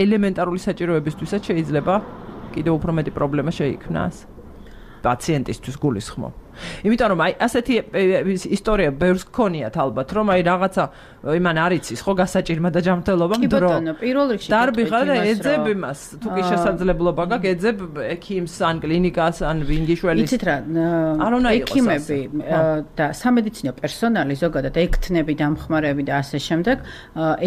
ელემენტარული საჭიროებისთვისაც შეიძლება კიდევ უფრო მეტი პრობლემა შეიქმნას პაციენტისთვის გულისხმობ. იმიტომ რომ აი ასეთი ისტორია ბევრს გქონიათ ალბათ, რომ აი რაღაცა იმან არ იცის ხო გასაჭირმა და ჯანმრთელობამ დრო. კი ბატონო, პირველ რიგში დარბიხარ და ეძებ იმას, თუ კი შესაძლებლობა გაქვს, ეძებ ექიმს ან კლინიკას ან ვინგიშველის. იცით რა, ექიმები და სამედიცინო პერსონალი ზოგადად ექთნები, დამხმარეები და ასე შემდეგ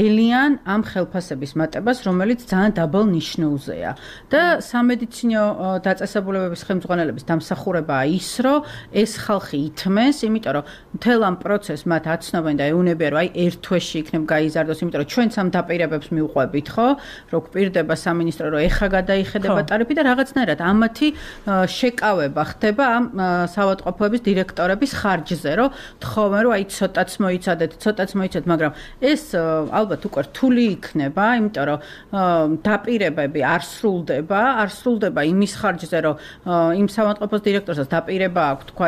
ელიან ამ ხელფასების მატებას, რომელიც ძალიან დაბალ ნიშნულზეა. და სამედიცინო დაწესებულებების ხელმძღვანელების დამსახურებაა ის, რომ ეს ხალხი ითმეს, იმიტომ რომ მთელ ამ პროცესს მათ აცნობენ და ეუნებიან, რომ აი ერთ თვეში იქნებ გაიზარდოს, იმიტომ რომ ჩვენც ამ დაპირებებს მივყვებით, ხო? რომ გვპირდება სამინისტრო, რომ ეხა გადაიხედება ტარიფი და რაღაცნაირად ამათი შეკავება ხდება ამ საავადმყოფოების დირექტორების ხარჯზე, რომ თხოვენ, რომ აი ცოტაც მოიცადეთ, ცოტაც მოიცადეთ, მაგრამ ეს ალბათ უკვე რთული იქნება, იმიტომ რომ დაპირებები არ სრულდება, არ სრულდება იმის ხარჯზე, რომ იმ საავადმყოფოს დირექტორსაც დაპირება აქვს, თქვა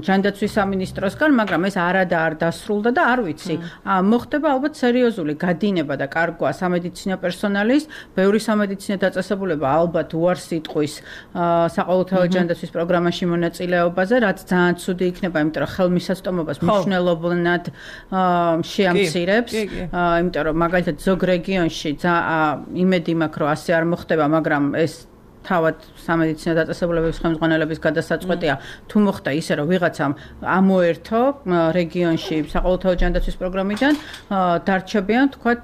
ჯანდაცვის სამინისტროსგან, მაგრამ ეს არადა არ დასრულდა და არ ვიცი. მოხდება ალბათ სერიოზული გადინება და კარგვა სამედიცინო პერსონალის, ბევრი სამედიცინო დაწესებულება ალბათ უარს იტყვის საყოველთაო ჯანდაცვის პროგრამაში მონაწილეობაზე, რაც ძალიან ცუდი იქნება, იმიტომ რომ ხელმისაწვდომობას მნიშვნელოვნად შეამცირებს, იმიტომ რომ მაგალითად ზოგ რეგიონში იმედი მაქვს, რომ ასე არ მოხდება, მაგრამ ეს თავად სამედიცინო დაწესებულებების ხელმძღვანელების გადასაწყვეტია, თუ მოხდა ისე, რომ ვიღაცამ ამოერთო რეგიონში საყოველთაო ჯანდაცვის პროგრამიდან, დარჩებიან, თქვათ,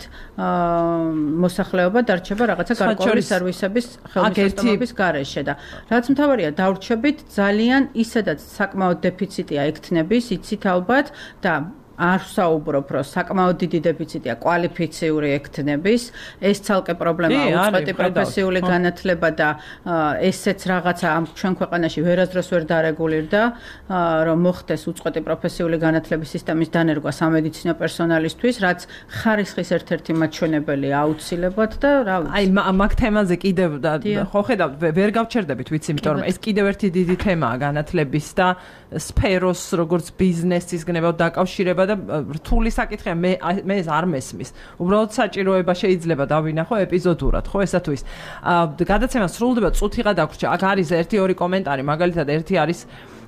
მოსახლეობა დარჩება რაღაცა გარკვეული სერვისების ხელმისაწვდომობის გარეშე და რაც მთავარია, დავრჩებით ძალიან ისედაც საკმაოდ დეფიციტია ექთნების, იცით ალბათ და არ ვსაუბრობ, რომ საკმაოდ დიდი დეფიციტია კვალიფიციური ექთნების, ეს ცალკე პრობლემაა, უწყვეტი პროფესიული განათლება და ესეც რაღაცა ამ ჩვენ ქვეყანაში ვერასდროს ვერ დარეგულირდა, რომ მოხდეს უწყვეტი პროფესიული განათლების სისტემის დანერგვა სამედიცინო პერსონალისთვის, რაც ხარისხის ერთ-ერთი მაჩვენებელია აუცილებლად და რა ვიცი. აი მაგ თემაზე კიდევ ხო ხედავთ, ვერ გავჩერდებით, ვიცი, იმიტომ რომ ეს კიდევ ერთი დიდი თემაა განათლების და სფეროს როგორც ბიზნესის გნებავ დაკავშირება და რთული საკითხია, მე მე ეს არ მესმის. უბრალოდ საჭიროება შეიძლება დავინახო ეპიზოდურად, ხო ესა თუ ის. გადაცემა სრულდება, წუთიღა დაგვრჩა. აქ არის ერთი ორი კომენტარი, მაგალითად ერთი არის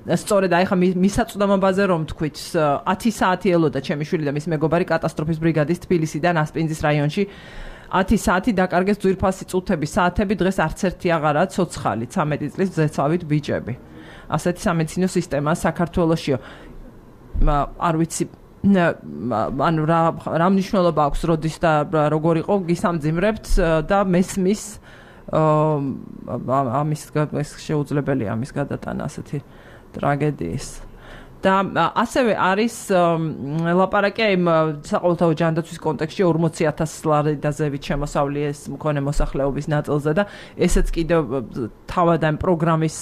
სწორედ აი ხა მისაწვდომობაზე რომ თქვით, ათი საათი ელოდა ჩემი შვილი და მის მეგობარი კატასტროფის ბრიგადის თბილისიდან ასპინძის რაიონში. ათი საათი დაკარგეს ძვირფასი წუთები, საათები, დღეს არც ერთი აღარაა ცოცხალი, ცამეტი წლის ზეცავით ბიჭები. ასეთი სამედიცინო სისტემაა საქართველოშიო. არ ვიცი ანუ რა რა მნიშვნელობა აქვს როდის და როგორ იყო გისამძიმრებთ და მესმის ამის შეუძლებელია ამის გადატანა ასეთი ტრაგედიის. და ასევე არის ლაპარაკი იმ საყოველთაო ჯანდაცვის კონტექსტში ორმოცი ათას ლარიდაზევით შემოსავლი ეს მქონე მოსახლეობის ნაწილზე და ესეც კიდევ თავად ამ პროგრამის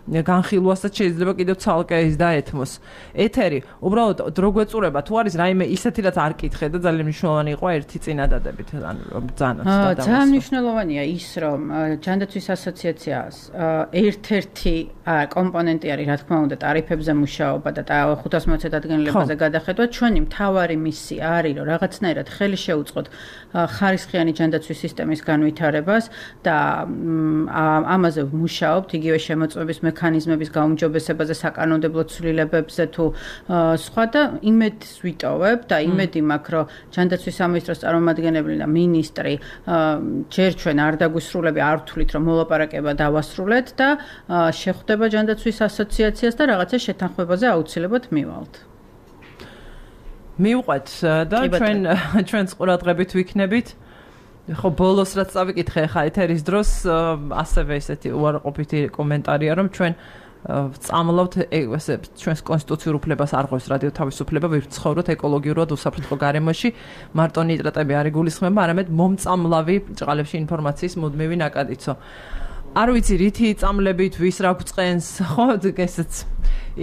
განხილვასაც შეიძლება კიდევ ცალკე ის დაეთმოს. ეთერი, უბრალოდ დრო გვეწურება თუ არის რაიმე ისეთი რაც არ კითხე და ძალიან მნიშვნელოვანი იყო ერთი წინადადებით ანუ ბრძანოთ და ძალიან მნიშვნელოვანია ის რომ ჯანდაცვის ასოციაციას ერთ-ერთი კომპონენტი არის რა თქმა უნდა ტარიფებზე მუშაობა და ხუთას მოცდ დადგენილებაზე გადახედვა. ჩვენი მთავარი მისია არის რომ რაღაცნაირად ხელი შეუწყოთ ხარისხიანი ჯანდაცვის სისტემის განვითარებას და ამაზე მუშაობთ იგივე შემოწმების მექანიზმების გაუმჯობესებაზე, საკანონმდებლო ცვლილებებზე თუ სხვა და იმედს ვიტოვებ და იმედი მაქვს, რომ ჯანდაცვის სამინისტროს წარმომადგენელი და მინისტრი ჯერ ჩვენ არ დაგვისრულები, არ ვთვლით, რომ მოლაპარაკება დავასრულეთ და შეხვდება ჯანდაცვის ასოციაციას და რაღაცა შეთანხმებაზე აუცილებლად მივალთ. მივყვეთ და ჩვენ ჩვენს ყურადღებით ვიქნებით. ხო ბოლოს რაც წავიკითხე ხა ეთერის დროს ასევე ესეთი უარყოფითი კომენტარია რომ ჩვენ წამლავთ ესე ჩვენს კონსტიტუციურ უფლებას არ ღვევს რადიო თავისუფლება ვირცხოვროთ ეკოლოგიურად უსაფრთხო გარემოში მარტო ნიტრატები არ იგულისხმება არამედ მომწამლავი ბრჭყალებში ინფორმაციის მუდმივი ნაკადიცო არ ვიცი რითი წამლებით ვის რა გვწყენს ხო ესეც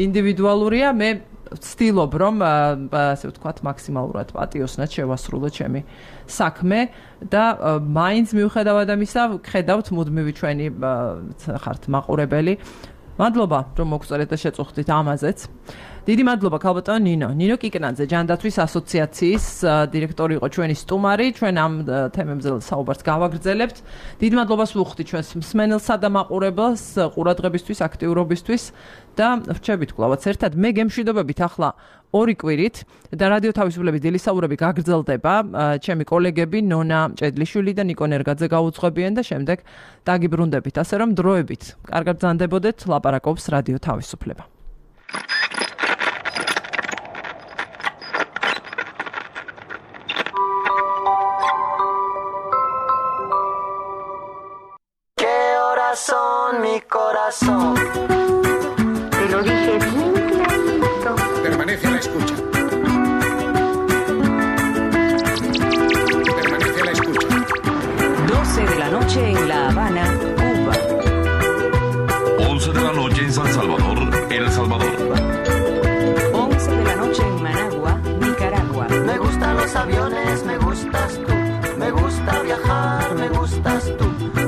ინდივიდუალურია მე ვცდილობ რომ ასე ვთქვათ მაქსიმალურად პატიოსნად შევასრულო ჩემი საქმე და მაინც მიუხედავად ამისა ხედავთ მუდმივი ჩვენი ხართ მაყურებელი მადლობა რომ მოგწერეთ და შეწუხდით ამაზეც დიდი მადლობა ქალბატონო ნინო ნინო კიკნაძე ჯანდაცვის ასოციაციის დირექტორი იყო ჩვენი სტუმარი ჩვენ ამ თემებზე საუბარს გავაგრძელებთ დიდი მადლობას ვუხდით ჩვენს მსმენელსა და მაყურებელს ყურადღებისთვის აქტიურობისთვის და ვრჩებით კლავაც ერთად მე გემშვიდობებით ახლა ორი კვირით და რადიო თავისუფლების დილისაურები გაგრძელდება ჩემი კოლეგები ნონა მჭედლიშვილი და ნიკო ნერგაძე გაუძღვებიან და შემდეგ დაგიბრუნდებით ასე რომ დროებით კარგად ბრძანდებოდეთ ლაპარაკობს რადიო თავისუფლება Son mi corazón. Te lo dije bien clarito. Permanece a la escucha. Permanece a la escucha. doce de la noche en La Habana, Cuba. once de la noche en San Salvador, El Salvador. once de la noche en Managua, Nicaragua. Me gustan los aviones, me gustas tú. Me gusta viajar, me gustas tú.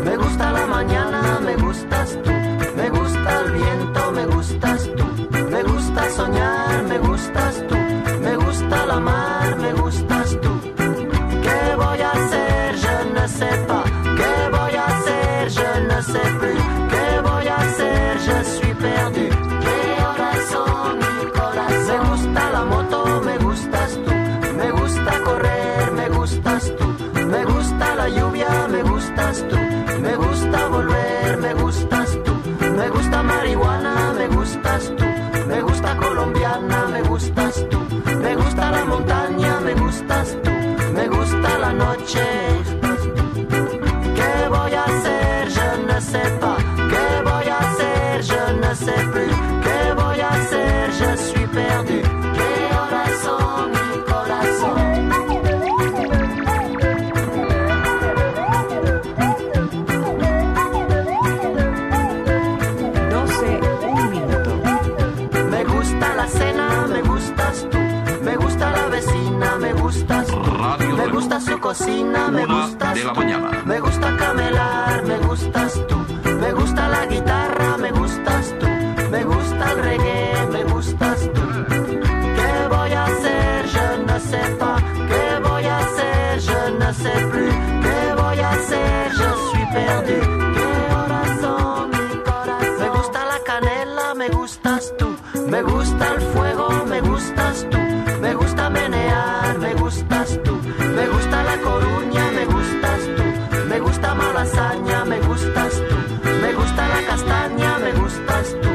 Me gusta la mañana, me gustas tú. Me gusta el viento, me gustas tú. Me gusta soñar, me gustas tú. Me gusta la mar, me gustas tú. ¿Qué voy a hacer? Je ne sais pas. ¿Qué voy a hacer? Je ne sais plus. ¿Qué voy a hacer? Je suis perdu. ¿Qué horas son, mi corazón? Me gusta la moto, me gustas tú. Me gusta correr, me gustas tú. Me gusta la lluvia, me gustas tú. Me gusta volver, me gustas tú. Me gusta marihuana, me gustas tú. Me gusta colombiana, me gustas tú. Me gusta la montaña, me gustas tú. Me gusta la noche. ¿Qué voy a hacer? Je ne sais pas. ¿Qué voy a hacer? Je ne sais plus. ¿Qué voy a hacer? Je suis perdu. ¿Qué horas son, mi corazón? Me gusta su cocina, me gustas tú. Me gusta camelar, me gustas tú. Me gusta la guitarra, me gustas tú. Me gusta el reggae, me gustas tú. ¿Qué voy a hacer? Je ne sais pas. ¿Qué voy a hacer? Je ne sais plus. ¿Qué voy a hacer? Je suis perdu. ¿Qué horas son, mi corazón? Me gusta la canela, me gustas tú. Me gusta el fuego, me gustas tú. Me gusta menear, me gustas tú. Me gusta la Coruña, me gustas tú. Me gusta Malasaña, me gustas tú. Me gusta la castaña, me gustas tú.